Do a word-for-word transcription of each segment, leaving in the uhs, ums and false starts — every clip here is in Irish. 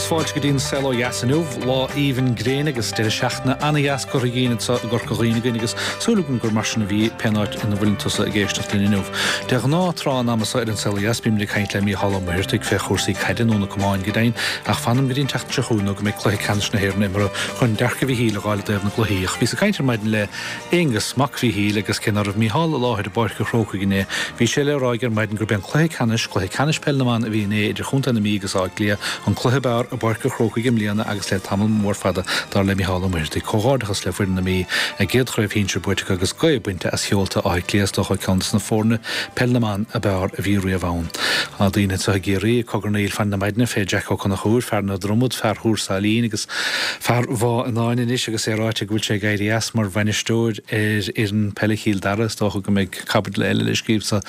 agus fáilte go dtí an Saol Ó Dheas inniu, lá aoibhinn gréine agus deireadh seachtaine an-dheas curtha dhínn anseo i gCorca Dhuibhne againn agus súil agam gur mar sin a bhí pén áit ina bhfuileann tusa ag éisteacht linn inniu. De ghnáth tráth an ama seo ar an Saol Ó Dheas bímid ag caint le Mícheál Ó Muircheartaigh fé chúrsaí caide nó na camáin go deimhin ach fanaim go dtí an tseachtain seo chugainn nó go mbeidh cluiche ceannais na hÉireann imeartha chun dearcadh Mhíchíl a dh'fháil i dtaobh na gcluichí. Ach bhíos ag caint ar maidin le Aonghus, mac Mhíchíl, agus cé ná raibh Mícheál i láthair i bPáirc an Chrócaigh inné, bhí sé le rá aige ar maidin gurb é an cluiche ceannais, cluiche ceannais peil na mban a bhí inné idir Chontae na Mí agus Áth Cliath, an cluiche b'fhearr i bPáirc an Chrócaigh i mbliana agus le tamall mór fada, dar le Mícheál Ó Muircheartaigh. Comhghairdeachas le foireann na Mí, a gcéad chraobh shinsir buaite acu agus gaoth bainte as sheolta Átha Cliath, is dócha ceann de na foirne peil na mban ab fhearr a bhí riamh ann. Tá daoine anseo i gCiarraí ag cogarnaíl fan na maidne fé Jack Ó Conchúir, fear na Dromad, fear Thuar Sailín agus fear Bhá Fhionáin anois agus é ráite go bhfuil sé ag éirí as mar bhainisteoir ar fhoireann peile Chill Dara. Is dócha go mbeidh caibidil eile le scríobh sa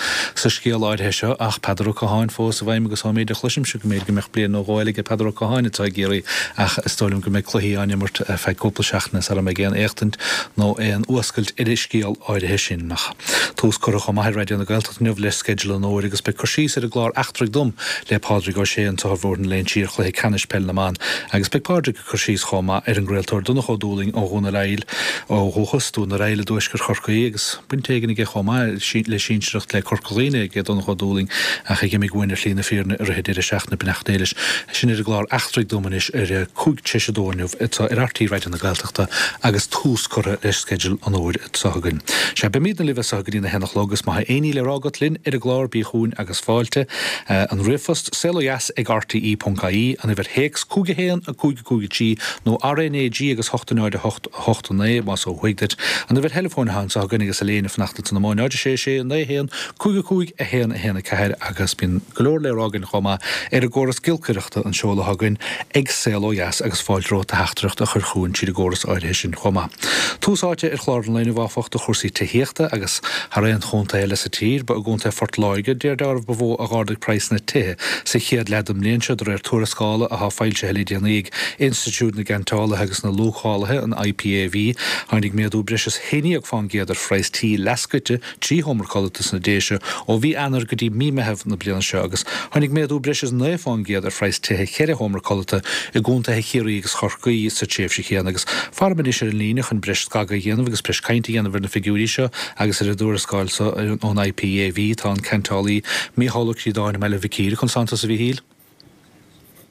scéal áirithe seo ach Peadar Ó Catháin fós i bhfeidhm agus ón méid a chloisimse go mb'fhéidir go mbeadh bliain nó dhó eile aige Peadar Ó Catháin anseo i gCiarraí ach is dóigh liom go mbeidh cluichí á n-imirt ar feadh cúpla seachtaine sara mbeidh aon éachtaint nó aon fhuascailt ar an scéal áirithe sin. Ach tús curtha chomh maith ar Raidió na Gaeltachta inniu le sceideal an fhómhair agus beidh cur síos ar an gclár Eachtraigh Dom le Pádraig Ó Sé anseo ar Bhóthar na Léinsí ar chluiche ceannais peil na mban agus beidh Pádraig ag cur síos chomh maith ar an gcraoltóir Donncha Ó Dúlaing ó Dhún ar Aill ó dhúchas, Dún ar Aill i dtuaisceart Chorcaí agus baint éigin aige chomh maith le sinsearacht le Corca Dhuibhne aige Donncha Ó Dúlaing ach ag imigh uainn ar shlí na fírinne i rith an deireadh seachtaine. Beannacht Dé leis. Sin ar an gclár Eachtraigh Dom anois ar a cúig tar éis a dó inniu anseo ar RTÉ Raidió na Gaeltachta agus tús curtha le sceideal an fhómhair anseo againn. Sea, beimidne libh as seo go dtí a haon a chlog agus má tá aon ní le rá agat linn ar an gclár bí chugainn agus fáilte. An ríomhphost, saolodheas ag rte ponc ie, an uimhir théacs, cúig a haon, a cúig a cúig a trí, nó RNAG agus hocht a náid a hocht, a hocht a naoi, más ó thuaidh duit. An uimhir theileafóin atá anseo againn agus Elaine ag fanacht ansan amuigh, náid a sé sé, naoi a haon, cúig a cúig, a haon, a haon a ceathair agus bíonn go leor le rá againn chomh maith ar an gcóras giolcaireachta, an seoladh atá againn ag Saol Ó Dheas agus fáilte romhat do theachtaireacht a chur chugainn tríd an gcóras áirithe sin chomh maith. Tús áite ar chlár an lae inniu áfach do chúrsaí tithíochta agus thar aon chontae eile sa tír, ba i gContae Phort Láirge, de réir dealraimh, ba mhó a dh'ardaigh praghsanna tithe sa chéad leath den mbliain seo, de réir tuarascála atá foilsithe le déanaí ag Institiúid na gCeantálaithe agus na Luachálaithe, an IPAV. Tháinig méadú breis is haon déag fán gcéad ar phraghas tí leathscoite trí sheomra codlata sna Déise ó mhí Eanáir go dtí mí Meitheamh na bliana seo agus tháinig méadú breis is naoi fán gcéad ar phraghas tithe cheithre sheomra codlata i gcontaetha Chiarraí agus Chorcaí sa tréimhse chéanna agus faraim anois ar an líne chun breis scagadh a dhéanamh agus breis cainte a dhéanamh ar na figiúirí seo agus ar an dtuarascáil seo ón IPAV tá an ceantálaí Mícheál Ó Críodáin i mBaile Mhic Íre. Conas tánn tusa a Mhíchíl?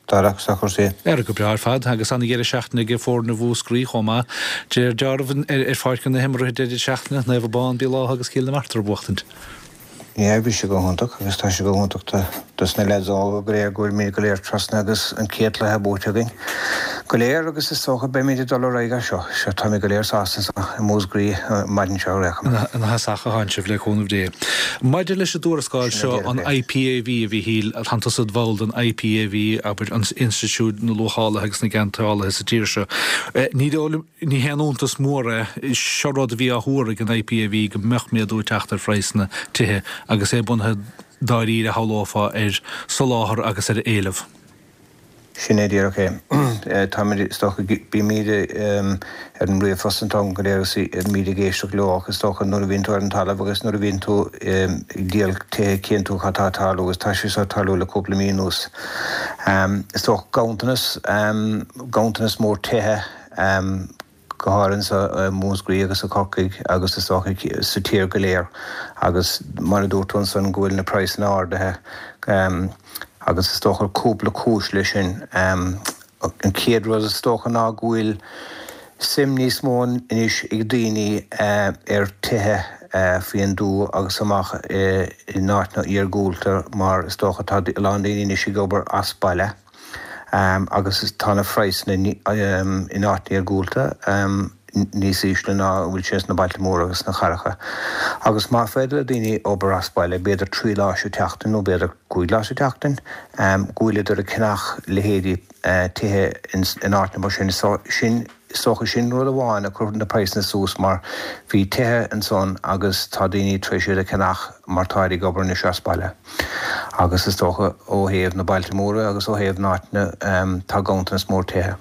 Tá racht sa chúrsaí. Ar go breá ar fad agus ana-dheireadh seachtaine ag foirne Mhúscraí chomh maith. De réir dealraimh ar pháirc na himeartha deireadh seachtaine, Naomh Abán, Béal Átha agus Cill na Martra a bhuachtaint. Yeah, bhí sé go hiontach agus tá sé go hiontach dos na leaids óga go léir go bhfuilimid go léir trasna agus an chéad cluiche buaite againn go léir agus is dócha beimid ag dul ar aghaidh as seo. Seo táimid go léir sásta anseo i Múscraí an maidin seo ar aon chuma. Ina thosach a thánn sibh le cúnamh Dé. Maidir leis an dtuarascáil seo, an IPAV, a Mhíchíl, tánn tusa id bhall den IPAV, abair, an Institiúid na Luachálaithe agus na gCeantálaithe sa tír seo. Ní dóigh liom, Ní haon iontas mór é, seo rud a bhí á thuar ag an IPAV go mbeadh méadú ag teacht ar phraghsanna tithe agus é bunaithe dáiríre, shamhlófá, ar soláthar agus ar éileamh. Sin é díreach é. Táimid, is dócha, bímid ar an ríomhphost an t-am go léir agus bímid ag éisteacht leo ach is dócha nuair a bhíonn tú ar an talamh agus nuair a bhíonn tú ag díol tithe cíonn tú cad tá ag tarlú agus tá sé seo ag tarlú le cúpla mí anuas. Is dócha ganntanas, ganntanas mór tithe, go háirithe anseo i Múscraí agus i Corcaigh agus is dócha sa tír go léir agus mar a dúirt tú ansan go bhfuil na praghsanna ardaithe agus is dócha cúpla cúis leis sin. An chéad rud is dócha ná go bhfuil suim níos mó anois ag daoine ar tithe faoin dtuath agus amach in áiteanna iargúlta mar is dócha tá a lán daoine anois ag obair as baile. agus tá na praghsanna in áiteanna iargúlta níos ísle ná a bhfuil sé sna bailte móra agus sna cathracha. Agus má féidir le daoine obair as baile, b'fhéidir trí lá sa tseachtain nó b'fhéidir cúig lá sa tseachtain, go bhfuileadar ag ceannach leithéidí tithe in áiteanna mar sin. Sin. Is dócha sin rud amháin a chuir na praghsanna suas mar bhí tithe ansan agus tá daoine tar éis iad a cheannach mar táid ag obair anois as baile. Agus is dócha ó thaobh na bailte móra agus ó thaobh na n-áiteanna tá ganntanas mór tithe.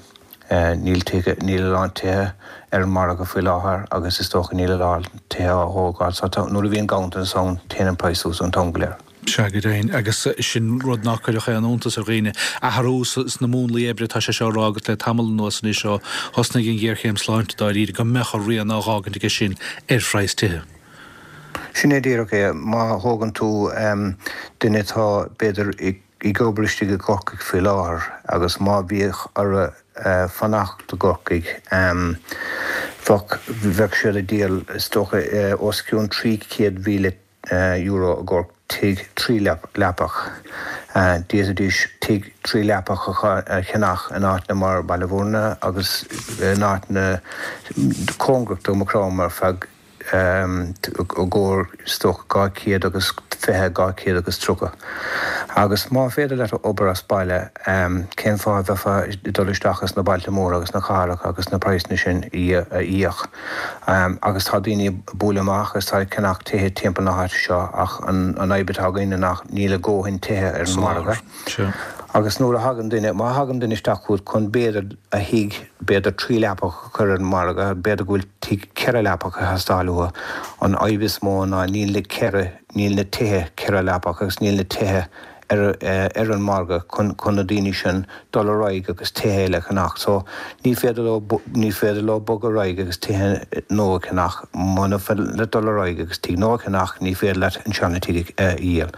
Níl tithe, níl a lán tithe ar an margadh faoi láthair agus is dócha níl a lán tithe á thógáil so nuair a bhíonn ganntanas ann téann an praghas suas an t-am go léir. Sea, go deimhin, agus sin rud ná cuirfeadh aon iontas ar dhaoine. Athrú sna múnlaí oibre, tá sé seo á rá agat le tamall anuas anois ó thosnaigh an ghéarchéim sláinte dáiríre, go mbeadh a rian á dh'fhágaint aige sin ar phraghas tithe. Sin é díreach é. Má thógann tú duine atá, b'fhéidir, ag obair istigh i gCorcaigh faoi láthair agus má bhíodh orthu fanacht i gCorcaigh, bheadh, bheadh siad ag díol, is dócha, os cionn trí chéad mhíle euro i gcomhair tigh trí leapach. D'fhéadfaidís tigh trí leapach a cheannach in áiteanna mar Baile Bhúirne agus in áiteanna cóngarach do Mhaigh Chromtha ar feadh i gcomhair is dócha dhá chéad agus fiche, dhá chéad agus tríocha. Agus má féidir leat obair as baile, cén fáth a bheifeá ag dul isteach ins na bailte móra agus na cathracha agus na praghsanna sin a íoc? Agus tá daoine ag bualadh amach agus tá ag ceannach tithe timpeall na háite seo ach an fhadhb atá againn ná níl a dhóthain tithe ar an margadh. Agus nuair a thagann duine, má thagann duine isteach chugat chun b'fhéidir a thigh, b'fhéidir trí leapach a chur ar an margadh, b'fhéidir go bhfuil tigh ceithre leapach ag teastáil uathu, an fhadhb is mó ná níl na ceithre, níl na tithe ceithre leapach agus níl na tithe ar ar an margadh chun chun na daoine sin dul ar aghaidh agus tithe eile a cheannach. So ní féidir leo ní féidir leo bogadh ar aghaidh agus tithe nua a cheannach. Muna féidir leat dul ar aghaidh agus tigh nua a cheannach ní féidir leat an seana tigh a dhíol.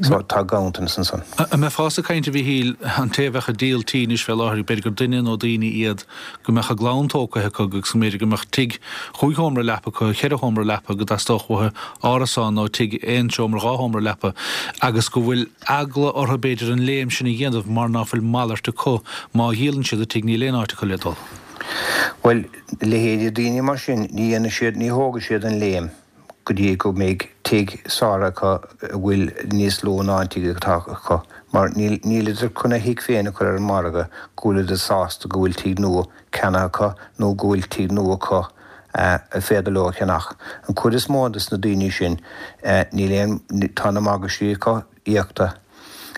So tá ganntanas ansan. An mbeifeása ag caint, a Mhíchíl, an té a bheadh ag díol tí anois fé láthair, b'fhéidir gur duine nó daoine iad go mbeadh a gclann tógtha acu agus go mb'fhéidir go mbeadh tigh chúig sheomra leapa acu, cheithre sheomra leapa, go dteastódh uathu árasán nó tigh aon seomra, dhá sheomra leapa agus go bhfuil eagla orthu b'fhéidir an léim sin a dhéanamh mar ná fuil malairt acu, má dhíolann siad an tigh níl aon áit acu le dul. Bhuel, leithéidí daoine mar sin, ní dhéanfaidh siad, ní thógfaidh siad an léim go dtí go mbeidh tigh sáraithe acu a bhfuil níos lú ná an tigh atá acu, mar níl, nílidar chun a thigh féin a chur ar an margadh go bhfuilidar sásta go bhfuil tigh nua ceannaithe acu nó go bhfuil tigh nua acu a féidir leo a cheannach. An chuid is mó de na daoine sin, níl aon, tá na morgáistí acu íoctha,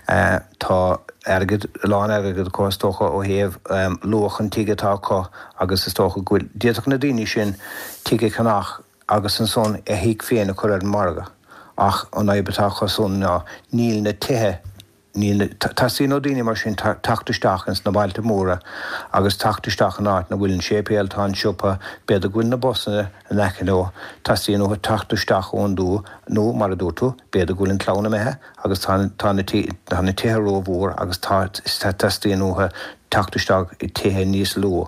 tá airgead, a lán airgid acu is dócha ó thaobh luach an tigh atá acu agus is dócha go bhfuil, d'fhéadfadh na daoine sin tigh a cheannach agus ansan a thigh féin a chur ar an margadh ach an fhadhb atá acu san ná níl na tithe, Níl, teastaíonn ó daoine mar sin teacht isteach ins na bailte móra agus teacht isteach in áit 'na bhfuil an séipéal, tá an siopa, b'fhéidir go bhfuil na busanna in aice leo, teastaíonn uathu teacht isteach ón dtuath nó, mar a dúirt tú, b'fhéidir go bhfuil an chlann imithe agus tá, tá na tá na tithe rómhór agus tá, teastaíonn uathu teacht isteach i tithe níos lú.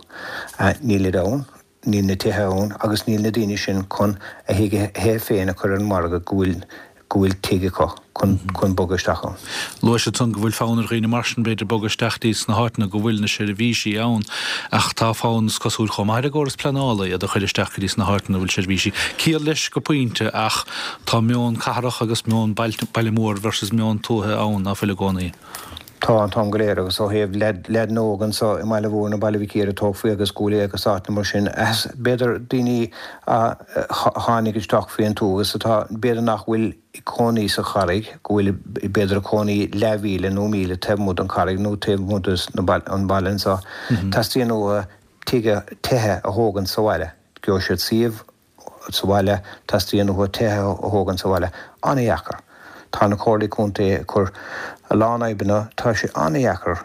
Nílid ann. Níl na tithe ann agus níl na daoine sin chun a thithe féin a chur ar an margadh go bhfuil go bhfuil tigh acu chun chun bogadh isteach ann. Luaigh siad san go bhfuil fonn ar dhaoine mar sin b'fhéidir bogadh isteach dtí sna háiteanna go bhfuil na seirbhísí ann ach tá fonn is cosúil chomh maith ar an gcóras pleanála iad a chur isteach go dtí sna háiteanna a bhfuil seirbhísí. Ciall leis go pointe ach tá meon cathrach agus meon baile mór versus meon tuaithe ann ná fuil i gcónaí. Tá an t-am go léir agus ó thaobh leaideanna óga anso i mBaile Bhúirne, Baile Mhic Íre, Tógfaí agus Cúil Aodha agus áiteanna mar sin, b'fhéidir daoine a tháinig isteach faoin tuath agus atá, b'fhéidir nach bhfuil ag cónaí sa Charraig, go bhfuil b'fhéidir ag cónaí leathmhíle nó míle taobh amuigh den Charraig nó taobh amuigh den bhaile anso, teastaíonn uathu tithe a thógaint sa bhaile. Gheobhaidh siad suíomh sa bhaile, teastaíonn uathu tithe a thógaint sa bhaile. An-dheacair. Tá na comhairlí contae ag cur a lán fhadhbanna, tá sé an-dheacair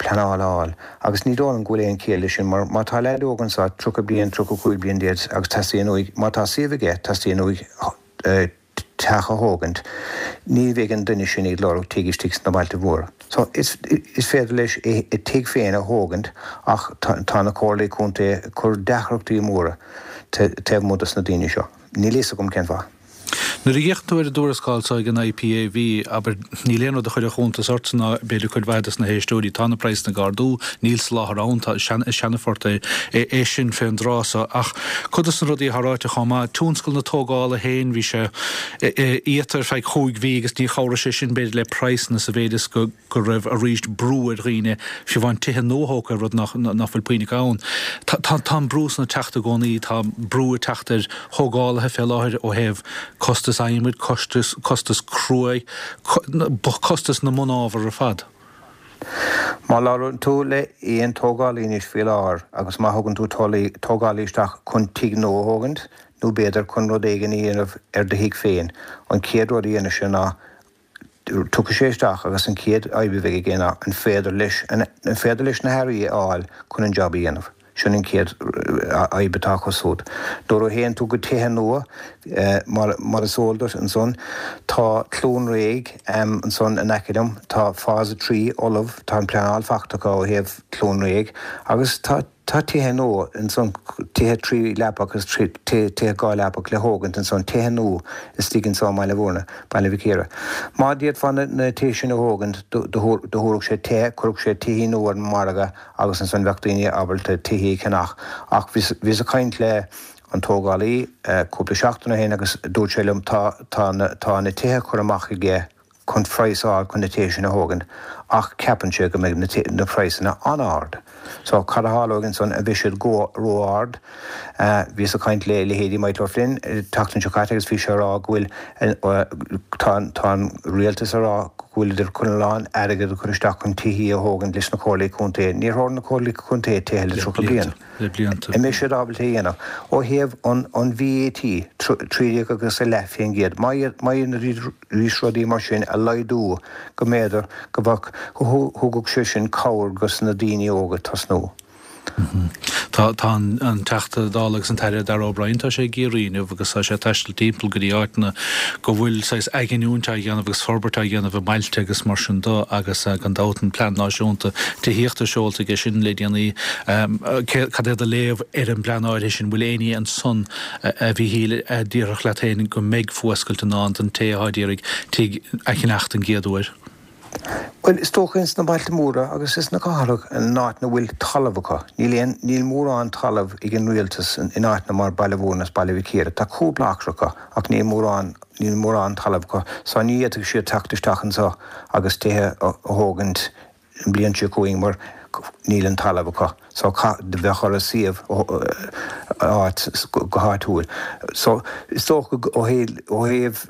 pleanáil a fháil agus ní dóigh liom go bhfuil aon chiall leis sin mar má tá leaid óg anseo, tríocha bliain, tríocha cúig bliain d'aois agus teastaíonn uaidh, má tá suíomh aige, teastaíonn uaidh teach a thógaint, ní bheidh an duine sin ag lorg tigh istigh sna bailte mhóra. So is féidir leis a tigh féin a thógaint ach tá na comhairlí contae ag cur deacrachtaí móra taobh amuigh dos na daoine seo. Níl fhios agam cén fáth. Nuair a fhéachann tú ar an dtuarascáil seo ag an IPAV, abair, níl aon rud a chuirfeadh iontas ortsa ná b'fhéidir cuid mhaith dos na héisteoirí, tá na praghsanna ag ardú, níl soláthar ann, tá, is seanaphort é é sin fén dtráth so. Ach cuid dos na rudaí atá ráite chomh maith, tionscal na tógála féin, bhí sé iata ar feadh chúig mhí agus ní chabhraigh sé sin b'fhéidir le praghsanna sa mhéid is go, go raibh arís brú ar dhaoine, fiú amháin tithe nuathógtha, rud nach bhfuil puinn acu ann. Tá an brú san ag teacht i gcónaí, tá brú ag teacht ar thógálaithe fé láthair ó thaobh costas adhmaid, costas, costas cruaidh, costas na mbunábhar ar fad. Má labhrann tú le aon tógálaí anois faoi láthair agus má thugann tú tógálaí isteach chun tigh nua a thógaint nó b'fhéidir chun rud éigin a dhéanamh ar do thigh féin, an chéad rud a dhéanfaidh sé ná Tiocfaidh sé isteach agus an chéad obair a bheidh aige ná an féidir leis an féidir leis na hearraí a fháil chun an job a dhéanamh. Sin an chéad fhadhb atá acu siúd. Nuair a théann tú go tithe nua, mar mar is eol duit ansan, tá Cluain Réidh ansan in aice liom, tá Phase trí ullamh, tá an pleanáil faighte acu ó thaobh Cluain Réidh agus tá tá tithe nua ansan, tithe trí leapa agus tithe dhá leapa le thógaint ansan, tithe nua istigh anso i mBaile Bhúirne, Baile Mhic Íre. Má d'fhéadfá na tithe sin a thógaint, do thabharfadh sé tithe, chuirfeadh sé tithí nua ar an margadh agus ansan bheadh daoine ábalta tithí a cheannach. Ach bhíos ag caint le an tógálaí cúpla seachtain ó shin agus dúirt sé liom tá tá na tá na tithe curtha amach aige chun praghas a fháil chun na tithe sin a thógaint ach ceapann sé go mbeidh na na praghsanna an-ard. So cad a tharlóidh ansan, an mbeidh siad go ró-ard? Bhíos ag caint le leithéidí Michael O'Flynn an tseachtain seo caite agus bhí sé ag rá go bhfuil tá tá an rialtas ag rá go bhfuileadar chun a lán airgead a chur isteach chun tithí a thógaint leis na comhairlí contae. Níor thóg na comhairlí contae tithe le tríocha bliain. Le blianta. An mbeidh siad ábalta é a dhéanamh? Ó thaobh an an VAT, trí déag agus a leath faoin gcéad, má má dhéanfaidís rudaí mar sin a laghdú go mb'fhéidir go bheadh go thugadh sé sin cabhair dos na daoine óga tosnú. Tá tá an Teachta Dála agus an tAire Darragh O'Brien, tá sé i gCiarraí inniu agus tá sé ag taisteal timpeall go dtí áiteanna go bhfuil saghas athghiniúint á dhéanamh agus forbairt á dhéanamh i mbailte agus mar sin de agus gan dabht an Plean Náisiúnta Tithíochta seolta aige sin le déanaí. Cad é do léamh ar an bplean áirithe sin? Bhfuil éinní ansan a Mhíchíl a déarfadh leat féin go mbeidh fuascailt i ndán don té atá ag iarraidh tigh a cheannacht an gcéad uair? Bhuel, is dócha ins na bailte móra agus ins na cathracha, in áiteanna a bhfuil talamh acu. Níl aon, níl mórán talamh ag an rialtas in áiteanna mar Baile Bhúirne is Baile Mhic Íre. Tá cúpla acra acu ach níl mórán, níl mórán talamh acu. So ní fhéadfadh siad teacht isteach anso agus tithe a thógaint an bhliain seo chugainn mar níl an talamh acu. So bheadh orthu suíomh áit go háitiúil. So is dócha ó ó thaobh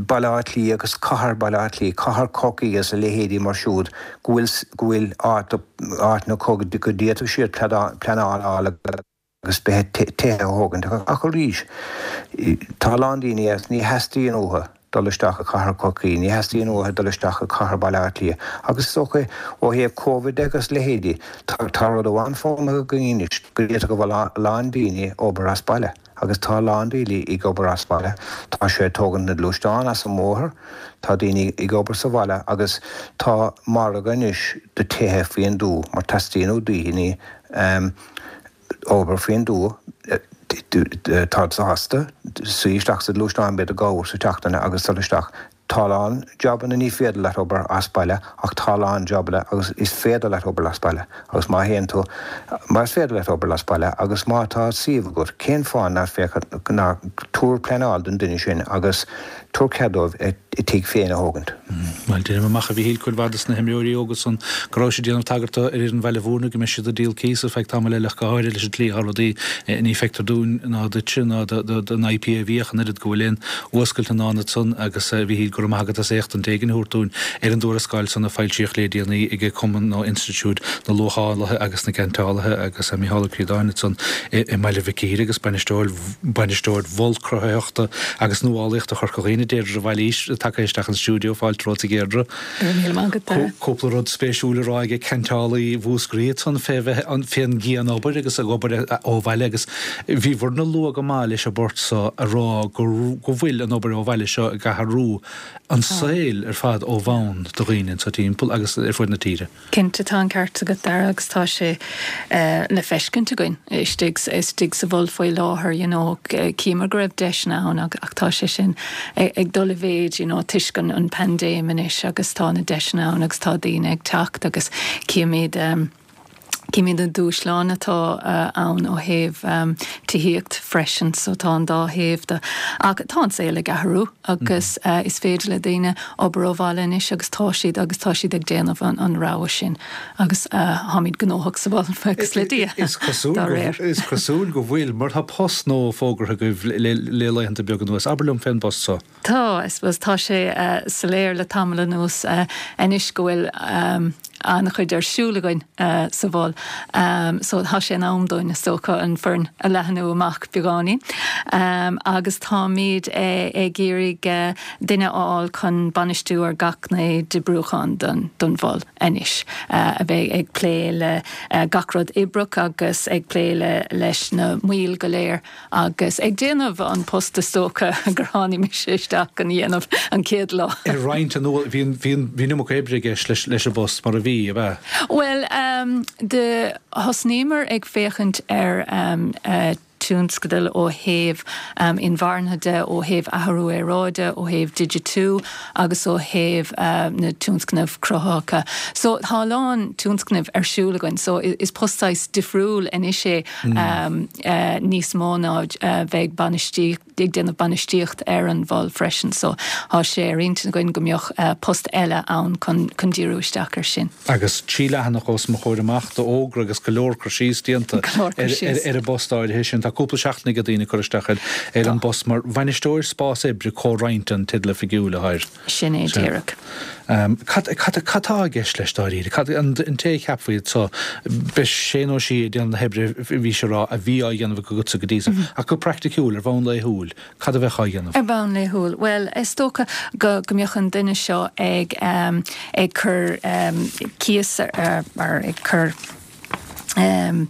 Baile Átha Cliath agus cathair Baile Átha Cliath, cathair Chorcaí agus a leithéidí mar siúd go bhfuil go bhfuil áit áiteanna acu go d'fhéadfadh siad pleanáil a fháil agus beidh tithe a thógaint. Ach arís, tá a lán daoine agus ní theastaíonn uathu dul isteach i cathair Chorcaí, ní theastaíonn uathu dul isteach i cathair Baile Átha Cliath. Agus is dócha ó thaobh Covid de agus leithéidí, tá rud amháin foghlamtha againn anois go bhféadfadh go bhfuil a lán daoine obair as baile. Agus tá a lán daoine ag obair as baile. Tá sé ag tógaint na gluaisteán as an mbóthar, tá daoine ag obair sa bhaile agus tá margadh anois do tithe faoin dtuath mar teastaíonn ó daoine obair faoin dtuath. Táid sásta suí isteach sa ghluaisteán b'fhéidir dhá uair sa tseachtain agus dul isteach. Tá a lán jabanna ní féidir leat obair as baile ach tá a lán jabanna agus is féidir leat obair as baile agus má théann tú, má is féidir leat obair as baile agus má tá suíomh agat, cén fáth nach féidir, ná tabhair pleanáil don duine sin agus tabhair cead dóibh a dtigh féin a thógaint. Bhuel, deirim amach a Mhíchíl cuid mhaith de na himreoirí óga san go raibh siad ag déanamh tagartha ar fhoireann Bhaile Bhúirne go mbeidh siad ag díol cíos ar feadh tamaill eile ach go háirithe leis an tslí atá rudaí ní feictear dúinn ná duitse ná don IPAV ach an oiread go bhfuil aon fhuascailt i ndán ansan agus a Mhíchíl go raibh maith agat as éachtaint éigin a thabhairt dúinn ar an dtuarascáil san a foilsíodh le déanaí ag Cumann nó Institiúid na Luachálaithe agus na gCeantálaithe agus Mícheál Ó Críodáin ansan i mBaile Mhic Íre agus bainisteoir bainisteoir Mhol Cruthaitheachta agus Nuálaíochta Chorca Dhuibhne, Deirdre de Bhailís, tagtha isteach an stiúideo, fáilte romhat a Dheirdre. Go raibh míle maith agat, Dara. Cúpla rud spéisiúil a rá ag ceantálaí Mhúscraí ansan fé bheith fén gcian-obair agus ag obair ó bhaile agus bhíobhairne luath go maith leis an bport so a rá go go bhfuil an obair ó bhaile seo ag athrú an saol ar fad ó bhonn do dhaoine anso timpeall agus ar fud na tíre. Cinnte, tá an ceart agat, Dara, agus tá sé le feiscint againn istigh istigh sa mhol faoi láthair, you know, chíomar go raibh deiseanna ann ach tá sé sin ag dul i mhéid, you know, toisc an an paindéim anois agus tá na deiseanna ann agus tá daoine ag teacht agus címid címid na dúshláin atá ann ó thaobh tithíocht freisin, so tá an dá thaobh de. Ach tá an saol ag athrú agus is féidir le daoine obair ó bhaile anois agus tá siad agus tá siad ag déanamh an an rogha sin agus táimid gnóthach sa mhol buíochas le Dia Is cosúil dá réir. Is cosúil go bhfuil, mar tá post nua fógartha agaibh le le laethanta beaga anuas. Abair liom fén bpost so. Tá, I suppose, tá sé soiléir le tamall anuas anois go bhfuil an-chuid ar siúl againn sa mhol. So tá sé in am dúinn is dócha an foireann a leathnú amach beagáinín. Agus táimid ag iarraidh duine a fháil chun bainistiú ar gach gné d'oibriúchán don don mhol anois, a bheidh ag plé le gach rud oibreach agus ag plé le leis na baill go léir agus ag déanamh an post is dócha gur tháinig mise isteach chun a dhéanamh an chéad lá. Ar roinnt an bhí bhí an iomarca oibre i gceist leis leis an bpost mar a bhí, ab ea? Bhuel, um, de thosnaíomar ag féachaint ar um, uh, tionscadail ó thaobh um, inmharthana de, ó thaobh athrú aeráide, ó thaobh digitiú agus ó thaobh uh, na tionscnaimh cruthaitheacha. So tá a lán tionscnaimh ar siúl againn, so is post saghas difriúil anois é mm. um, uh, níos mó ná uh, bheith bainistíocht ag déanamh bainistíocht ar an mhol freisin, so tá sé ar intinn againn go mbeadh uh, post eile ann chun chun díriú isteach ar sin. Agus trí leathanach os mo chomhair amach d'fhógra agus go leor cur síos déanta ar, ar, ar an bpost áirithe sin. Tá cúpla seachtain ag daoine cur isteach ar ar an bpost mar bhainisteoir spás oibre comhroinnte an teideal oifigiúil air. Sin é díreach. Um, cad atá i gceist leis dáiríre? Cad an té a cheapfaí so beidh sé nó sí ag déanamh na hoibre bhí sé rá a bhí á dhéanamh agatsa go dtí seo mm -hmm. ach go praiticiúil ar bhonn laethúil, cad a bheadh á dhéanamh? Ar bhonn laethúil. Well, is dócha go go mbeadh an duine seo ag um, ag cur um, cíos ar, ar ag cur um,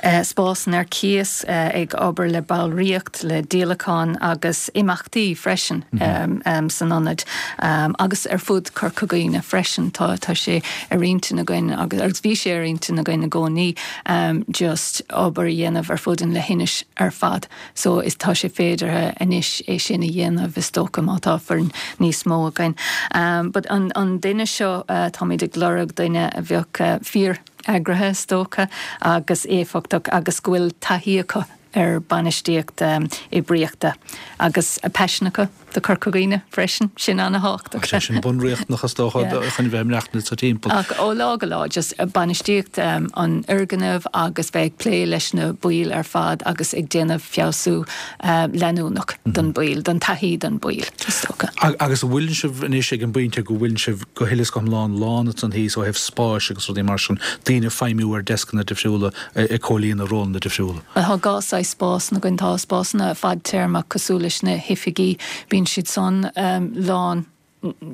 uh, spásanna ar cíos uh, ag obair le ballraíocht le díolachán agus imeachtaí freisin mm -hmm. um, um, san ionad um, agus ar fud Chorca Dhuibhne freisin tá tá sé ar intinn againn agus agus bhí sé ar intinn againn i gcónaí um, just obair a dhéanamh ar fud an leithinis ar fad so is tá sé féidir anois é sin a dhéanamh is dócha má tá foireann níos mó againn. Um, but an, an duine seo uh, táimid ag lorg duine a bheadh uh, fíor eagraithe is dócha agus éifeachtach agus go bhfuil taithí acu ar bainistíocht um, oibríochta agus a paisean acu do Chorca Dhuibhne freisin sin an-tábhachtach. Sé sin bunriachtanach is dócha chun bheith maireachtáil sa timpeall. Ach ó lá go lá just bainistíocht um, an fhoirgnimh agus bheith ag plé leis na baill ar fad agus ag déanamh feabhsú uh, leanúnach mm -hmm. don bhaill, don taithí don bhaill is dócha. Agus an bhfuil sibh anois ag an bpointe go bhfuil sibh go huile is go hiomlán lán ansan thíos ó thaobh spáis agus rudaí mar sin daoine feidhmiú ar deascanna difriúla ag comhlíonadh rólanna difriúla. Tá dhá saghas spás againn tá spásanna fadtéarma cosúil leis na hoifigí bíonn siad san um, lán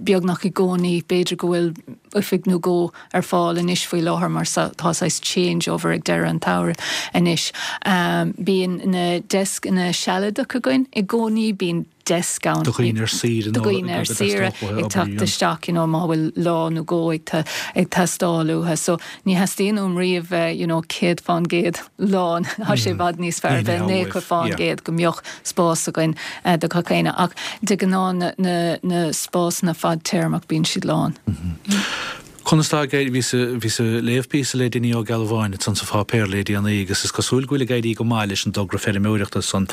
beagnach i gcónaí b'fhéidir go bhfuil oifig nó dhó ar fáil anois faoi láthair mar tá saghas changeover ag deireadh an tsamhraidh anois. Um, bíonn na deascanna sealadach againn i gcónaí bíonn desk ann. Do dhaoine ar saoire Do dhaoine ar saoire ag teacht isteach you know, má bhfuil lá nó dhó ag ag teastáil uathu. So ní theastaíonn uaim riamh you know, céad faoin gcéad lán Tá sé i bhfad níos fearr bheith nócha faoin gcéad go mbeadh spás againn uh, do gach éinne ach de ghnáth na, na, na spásanna fadtéarmach bíonn siad lán. Mm -hmm. Conas tá bhí bhí léamh píosa le Dinny Ó Gealbháin san sa pháipéar le déanaí agus is cosúil go bhfuil ag éirí go maith leis an dtogra feirmeoireachta san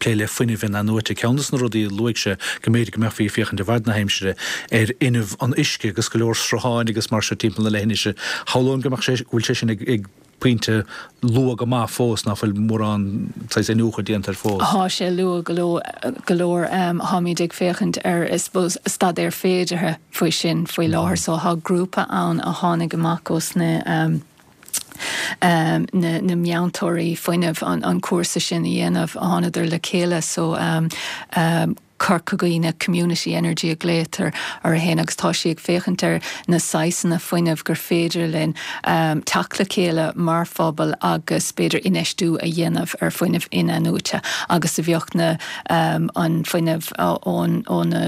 plé le fuinneamh in-athnuaite ceann de na rudaí a luaigh sé go mb'fhéidir go mbeifí ag féachaint i bhfad na haimsire ar fhuinneamh an uisce agus go leor srutháin agus mar sin timpeall na leithinise. Shamhlóinn go mbeadh sé go bhfuil sé sin ag ag pointe luath go maith fós nach bhfuil mórán saghas iniúchadh déanta air fós. Tá sé luath go go leor táimid ag féachaint ar I suppose staidéar féideartha faoi sin faoi láthair so tá grúpa ann a tháinig amach os na um, um, na, na meantóirí fuinnimh an, an cúrsa sin a dhéanamh a thánadar le chéile so um, um, Corca Dhuibhne Community Energy a ghlaotar air féin agus tá sí ag féachaint ar na saghsanna fuinnimh gur féidir linn um, teacht le chéile mar phobal agus b'fhéidir infheistiú a dhéanamh ar fuinneamh in-athnuaite agus a bheadh na um, an fuinneamh ón ó na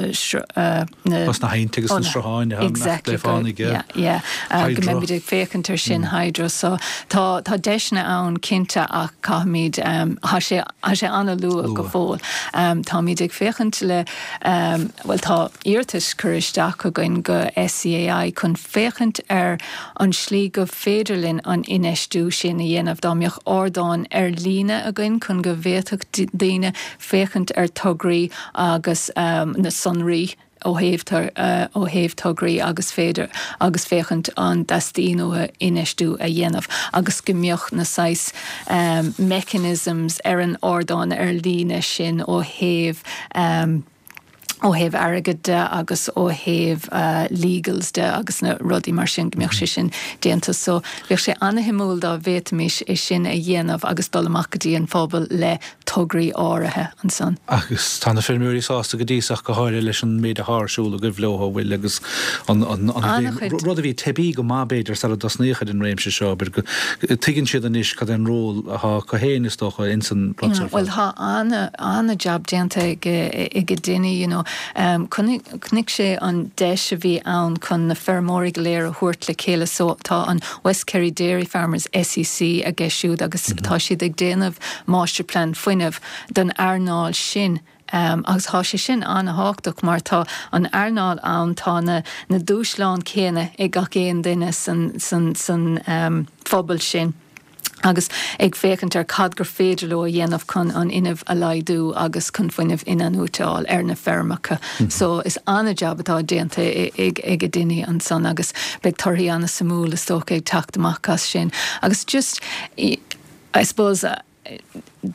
uh, na na hainte agus na srutháin exactly yeah, yeah. Uh, go mbeimid ag féachaint ar sin mm. hydro so tá tá deiseanna ann cinnte ach caithfimid um, tá sé sé an-luath go fóill um, táimid ag féachaint le um, well tá iarratas curtha isteach againn go SEAI chun féachaint ar an slí go féidir linn an infheistiú sin a dhéanamh dá mbeadh ardán ar líne againn chun go bhféadfadh daoine féachaint ar tograí agus um, na sonraí ó thaobh uh, ó thaobh tograí agus féidir agus féachaint an dteastaíonn uathu infheistiú a dhéanamh agus go mbeadh na saghas um, mechanisms ar an ardán ar líne sin ó thaobh um, ó thaobh airgid de agus ó thaobh uh, legals de agus na rudaí mar sin go mbeadh sé sin déanta so bheadh sé an-shuimiúil dá bhféadfaimis é sin a dhéanamh agus dul amach go dtí an phobal le tograí áirithe ansan. Agus tá na feirmeoirí sásta go dtí ach go háirithe leis an méid atá ar siúl agaibh leo bhfuil agus an rud a bhí teibí go maith b'fhéidir sara dtosnaíodh ar an réimse seo, go tuigeann siad anois cad é an ról atá acu féin is dócha ins an Well tá an-jab déanta ag ag Dinny you know um, chonaic sé an deis a bhí ann chun na feirmeoirí go léir a thabhairt le chéile so tá an West Kerry Dairy Farmers SEC aige siúd agus mm -hmm. tá siad ag déanamh masterplan fuinnimh don earnáil sin. Um, agus tá sé sin an-tábhachtach mar tá an earnáil ann tá na, na dúshláin céanna ag gach aon duine san, san, san um, phobal sin. agus ag féachaint ar cad gur féidir leo a dhéanamh chun an fhuinneamh a laghdú agus chun fuinneamh in-athnuaite a fháil ar na feirmeacha. Mm -hmm. So is an-jab atá déanta ag ag Dinny ansan agus beidh torthaí an-suimiúil is dócha ag teacht amach as sin. Agus just I suppose uh,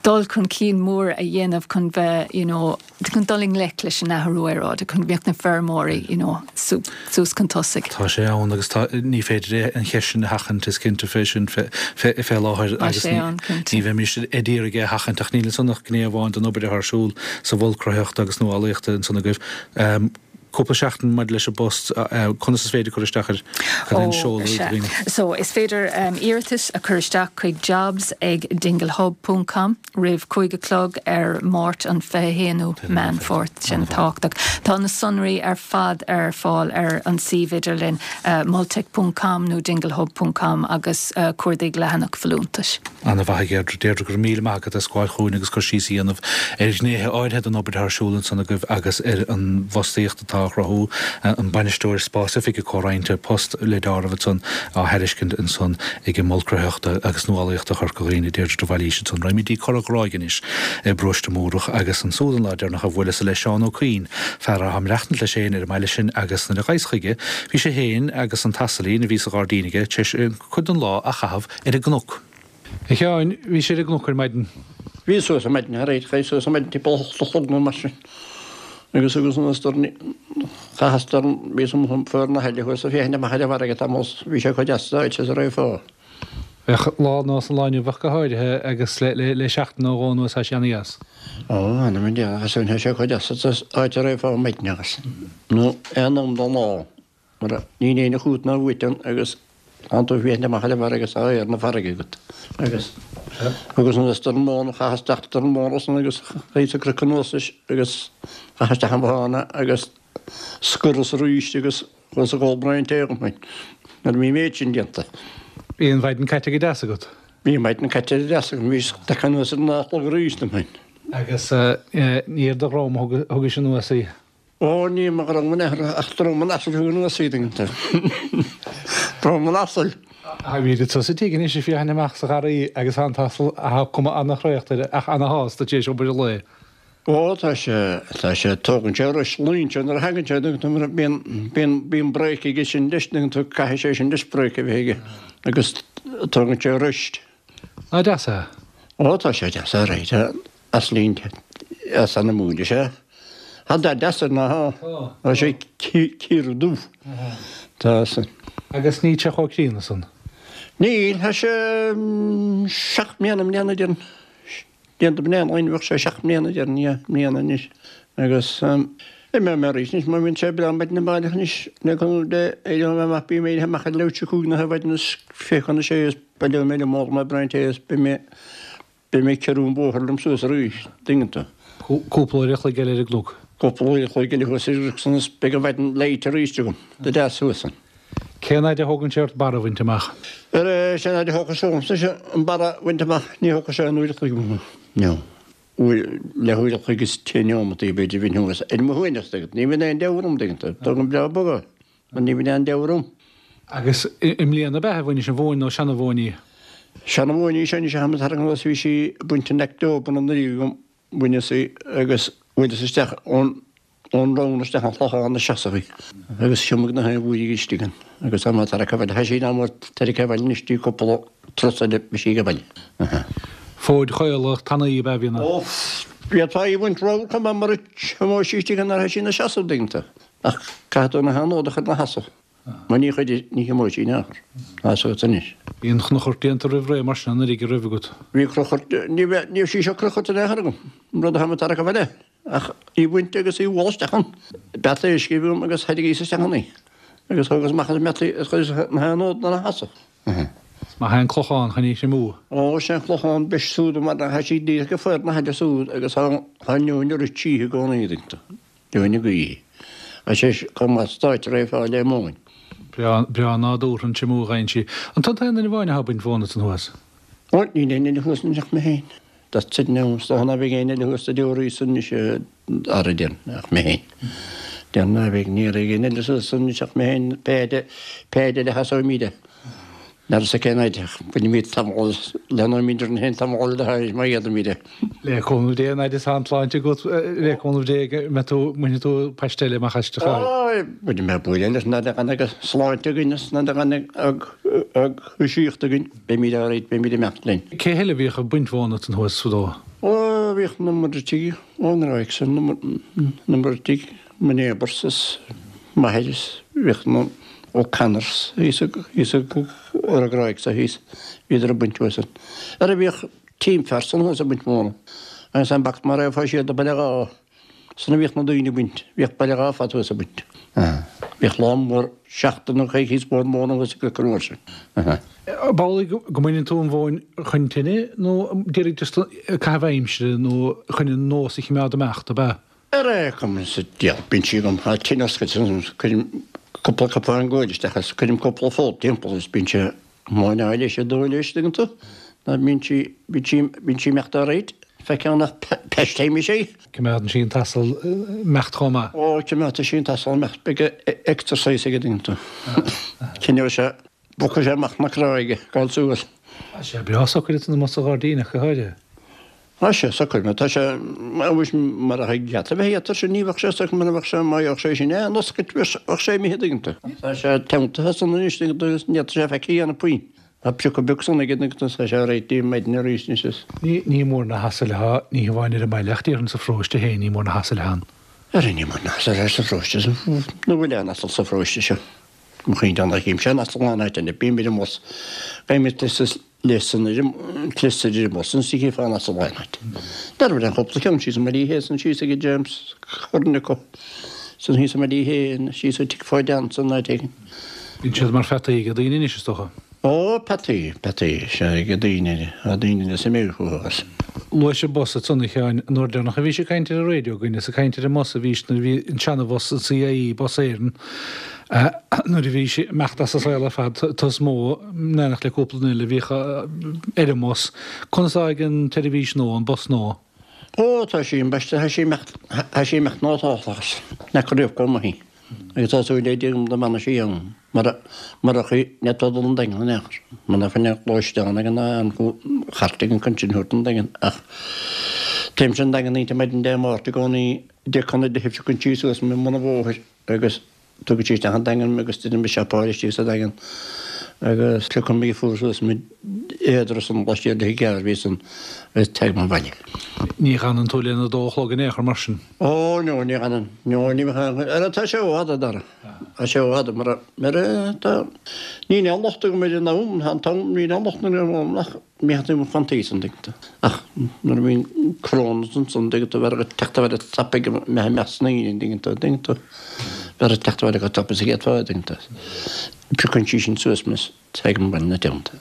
dul chun cinn mór a dhéanamh chun bheith you know, chun dul i ngleic leis an athrú aeráide chun bheith na feirmeoirí you know, suas chun tosaigh. Tá sé ann agus ní féidir an cheist sin a sheachaint is cinnte fé sin fé láthair agus ní bheimis ag iarraidh é a sheachaint ach níl san ach gné amháin den obair ar siúl sa Mhol Cruthaitheachta agus Nuálaíochta ansan agaibh. Um, cúpla seachtain maidir leis an bpost conas is féidir cur isteach air an seoladh So is féidir um, iarratas a chur isteach chuig jobs ag dinglehub.com roimh cúig a chlog ar Máirt an fiche haonú Meán Fómhair sin tábhachtach. Tá na sonraí ar fad ar fáil ar an suíomh idirlín uh, moltech.com nó dinglehub.com agus uh, cuardaigh leathanach folúntais. An-mhaith Deirdre go raibh míle maith agat as gabháil chugainn agus cur síos a dhéanamh ar ghnéithe áirithe den obair ar siúl ansan agaibh agus ar an bhfostaíocht atá á chruthú an bainisteoir spás oifige comhroinnte post le deáramh ansan á thairiscint ansan ag an Mol Cruthaitheachta agus Nuálaíochta Chorca Dhuibhne Deirdre de Bhailís ansan. Raghaimid go dtí Cora Ghráig anois i bparóiste Múrach agus ansúd an lá deireanach a bhuaileas le Seán Ó Cuinn, fear atá ag maireachtaint leis féin ar an mbaile sin agus nuair a ghabhas chuige bhí sé féin agus an t-asailín a bhí sa ghairdín aige tar éis cuid den lá a chaitheamh ar an gcnoc. A Sheáin, bhí sé ar an gcnoc ar maidin. Bhí suas ar maidin thar éis, chuaigh suas ar maidin timpeall a hocht a chlog nó mar sin. Agus agus an storm chaitheas dorn bhí some fuar na heile thuas a féachaint amach ar an bhfarraige tamall bhí sé chomh deas áit is a raibh fá. Bheadh lá nós an lá inniu ach go háirithe agus le le le seachtain nó dhó anuas tá sé ana-dheas. Ó, anam Dé, agus tá sé chomh deas áit a raibh fá maidin agus nó aon am den lá mar níl éinne chugat ná uait ann agus Tánn tú ag féachaint amach ar an bhfarraige agus tá aer na farraige agat. Agus agus an dorn móna, chaitheas isteach dorn móna san agus chuaigh sa gcnoc anuas leis agus chaitheas isteach an bothána agus scoras arís agus chuas ag ól braon tae dhom féin. Nuair a bhí an méid sin déanta. Bhí an mhaidin caite go deas agat? Bhí an mhaidin caite go deas agam, bhíos tagtha anuas ar a naoi a chlog arís dom féin. Agus ní ar do dhrom a thugais anuas í? Ó, ní mo dhrom in aon chor, ach drom an asail a thug anuas í, tuigeann tú. Drom an asail. Táimid anseo sa tigh anois ag féachaint amach sa gharraí agus tá an t-asal, tá cuma ana-thraochta air ach ana-shásta tar éis obair an lae. Ó, tá sé, tá sé, tógann sé rois, luíonn sé nuair a thagann sé, tuigeann tú, mar bíonn, bíonn, bíonn brake aige sin leis, tuigeann tú, caithfidh sé sin leis brake a bheith aige agus tógann sé rest. Ná deas é? Ó, tá sé deas, alright, asailín as an-mhúin is ea. Tá dath deas air ná tá. Tá sé ciardubh. Tá san. Agus níl sé chomh críonna san. Níl, tá sé seacht mbliana i mbliana déarfainn. Déanta bliain ó shin bheadh sé seacht mbliana déarfainn, yeah, mbliana anois. Agus imeoidh mé arís anois má bhíonn sé breá maidin amárach anois le cúnamh Dé, éireoidh mé amach, bím éirithe amach ar leathuair tar éis a cúig nó ar maidin is fiche chun a sé is baileoidh mé liom, ólfaidh mé braon tae is beidh mé Beidh mé ag ciorrú an bhóthair liom suas arís, dtuigeann tú. Cúpla uair a chloig eile ar an gcnoc. Cúpla uair a chloig eile thuas ar an gcnoc san is beidh an mhaidin leáite arís agam, go deas thuas ann. Cén fhaid a thógann sé ort barra a bhaint amach? Ar cén fhaid a thógfadh sé ormsa an barra a bhaint amach, ní thógfadh sé aon uair a chloig orm. No. Uair, leathuair a chloig is deich neomataí b'fhéidir a bheinn thuas ar mo shuaimhneas, tuigeann tú. Ní bhíonn aon deabhadh orm, tuigeann tú. Tógaim breá bog é, mar ní bhíonn aon deabhadh orm. Agus i mbliana ab ea a bhainis an mhóin nó seana-mhóin í? Seana-mhóin í seo anois a tháim ag tarraingt anuas, bhí sí ag baint in October anuraidh agam, bhaineas í agus bhuaileas isteach ón ón rann isteach an Chlochán a seasamh í agus thiomaigh na haon bhuaidh istigh ann agus tá mé tarraicthe abhaile. Tá sí in am tarraicthe abhaile anois di cúpla turas eile beidh sí ag baile. Fóid chaola tanaí ab ea a bhí ann? Ó, D'fhéadfá í a bhaint ramhar chomh maith mura dtiomóidh sí istigh nuair atá sí ina seasamh, an dtuigeann tú. Ach caithfidh tú na hanóid a chur ina sheasamh. Mar ní chuidigh, ní thiomóidh sí in aon chor. Tá a fhios agat anois. Bhí an chnochairt déanta roimh ré mar sin an uilig a raibh agat. Bhí crochairt, ní bheadh, ní raibh sí seo crochairt in aon chor agam, an rud atá mé ag tarrac abhaile, ach í bhaint agus í bhualadh isteach ann. Beata uisce a bhí agam agus thairrigíos isteach ann í. Agus thógas amach as an mbeata í agus chuireas na hanóid ina sheasamh. Is maith é an clochán chun í a thriomú. Ó, is é an clochán beis súd mar tá sí díreach ag faire na haille súd agus tá an neoin ag rith tríthi i gcónaí, an dtuigeann tú. Neoin na gaoithe. Tá sé chomh maith stáit réidh fáil le móin. Breá, breá nádúrtha an triomú a gheibheann sí. An tú an t-aon duine amháin atá ag baint mhóna ansan thuas? Ó, níl aon duine thuas anois ach mé féin. That's it now. Is dócha ná beidh éinne eile thuas sa deoraí san anois, ara déarfainn, ach mé féin. Déarfainn ná beidh, ní raibh éinne eile suas anois ach mé féin, Peaid, Peaid eile a sheasóimid. N'fheadar cén fhaid ach bainfimid tamall, leathnóimid orainn féin tamall eile thairis má fhéadaimid é. Le cúnamh Dé, an fhaid is atá an tsláinte agat, le cúnamh Dé go mbeidh tú, mbainfidh tú paiste eile amach aisti a chara. Ó, bainfidh mé buaile leis an fhad a fhanfaidh sláinte againn is an fhad a fhanfaidh dúiseacht againn, beimid all right, beimid ag imeacht linn. Cé heile a bhíodh ag baint mhóna ansan thuas fadó? Ó, bhíodh na Muircheartaigh ón nGráig san, na Muircheartaigh, mo neighbours is m'athair is bhíodh na. O'Connors thíos thíos ar an gCráig so thíos, bhíodar ag baint uaidh san. Ara bhíodh Tim Pherson thuas ag baint móna agus an bac mar é fá siad do Baile Dhá san a bhíodh na daoine ag baint, bhíodh Baile Dhá fad thuas ag baint. Bhíodh lá mór seachtain nó coicíos mór móna thuas i gCnoc an uair sin. Ab amhlaidh go mbaineann tú an mhóin chun tine nó d'iarraidh just caitheamh aimsire nó chun an nós a chimeád ag imeacht, ab ea? Ar aon chuma sa diabhal, bíonn sí agam, tá tine oscailte ansan, cuirim cúpla cupán guail isteach is cuirim cúpla folt timpeall is bíonn sé móin á leis ag dó leis, tuigeann tú, ná bíonn sí, bíonn sí, bíonn sí imeacht all right, feiceann nach peist mise í. Coimeádann sí an t-asal imeacht chomh maith. Ó, coimeádfaidh sí an t-asal imeacht, beidh exercise aige, tuigeann tú. Coinneoidh sé, bogfaidh sé amach na cráige, gabháil suas. Tá sé breá socair ansan amuigh sa ghairdín ach go háirithe. Tá sé socair, mar tá sé, anois mura thig leat a bheith thíos ansin ní bheadh sé socair mura bheadh sé, má bheadh sé sin in oscailt bheadh sé imithe tuigeann tú. Tá sé teanntaithe san anois tuigeann tú agus ní fhéadfadh sé faic a dhéanamh puinn. Tá priocadh beag san aige tuigeann tú tá sé réidh maidin arís anois is. Ní, ní mór na hasail atá, ní hamháin ar an mbaile ach déarfainn sa pharóiste féin, ní mór na hasail atá ann. Ara ní mór na hasail atá sa pharóiste san, nó bhfuil aon asal sa pharóiste seo? Mo chaoin Dé nach gcímse aon asal aon áit eile, bím ar an mbus, bím ag Lesan ar an cleas ar an mbus ansin chífeá an asal aon áit. Dar bhfuil an chúpla ceann síos i mBaile Uí Shé san síos ag James Curran acu san thíos i mBaile Uí Shé síos ag Tigh Pháid Ann san áit éigin. Bíonn siad mar pheataí ag daoine anois is dócha. Ó, peataí, peataí, sea, ag daoine, tá daoine le suim fúthu agus. Luais an bus ansan a Sheáin, an uair deireanach a bhís ag caint ar an raidió againn is ag caint ar an mbus a bhís nuair a bhí an seana-bhus an CIE, Bus Éireann, nuair a bhí sé imeacht as an saol ar fad, tú is mó, in éineacht le cúpla duine eile a bhíodh ar an mbus. Conas atá ag an tseirbhís nua, an bus nua? Ó, tá sí ambaiste, tá sí imeacht, tá sí imeacht nótálta agus n'fheaca riamh chomh maith í. Agus tá súil le Dia agam go mbeannaigh sí ann, mura, murach í, ní fhéadfá dul 'on Daingean in aon chor. Muna fine gluaisteán ag an an chairt ag an chun sin thabhairt 'on Daingean ach téimse 'on Daingean oíche maidin Dé Máirt i gcónaí, deich chun a deich piocann sí suas mé i mbun an bhóthair agus Tugann sí isteach an Daingean mé agus déanaim siopáil istigh sa Daingean agus piocann mé fuar suas mé éadra san laistiar de thigh bhí san agus teagaim abhaile. Ní fhanann tú lena dó a chlog in aon chor mar sin? Ó no ní fhanann, no ní fhanann, ara tá sé ó fhada Dara, tá sé ó fhada mar mar tá, níl aon locht agam ar an am, tá an t-am, níl aon locht ar an am ach Ní hea mo chontae an dtuigeann tú. Ach nuair a bhíonn coróin ansan an dtuigeann tú, bheadh ag teacht abhaile tapaidh go mbeadh meas na ndaoine an dtuigeann tú, an dtuigeann tú. Bheadh ag teacht abhaile go tapaidh sa gcéad fáth an dtuigeann tú. Piocann sí sin suas mé is tagaim abhaile ina teannta.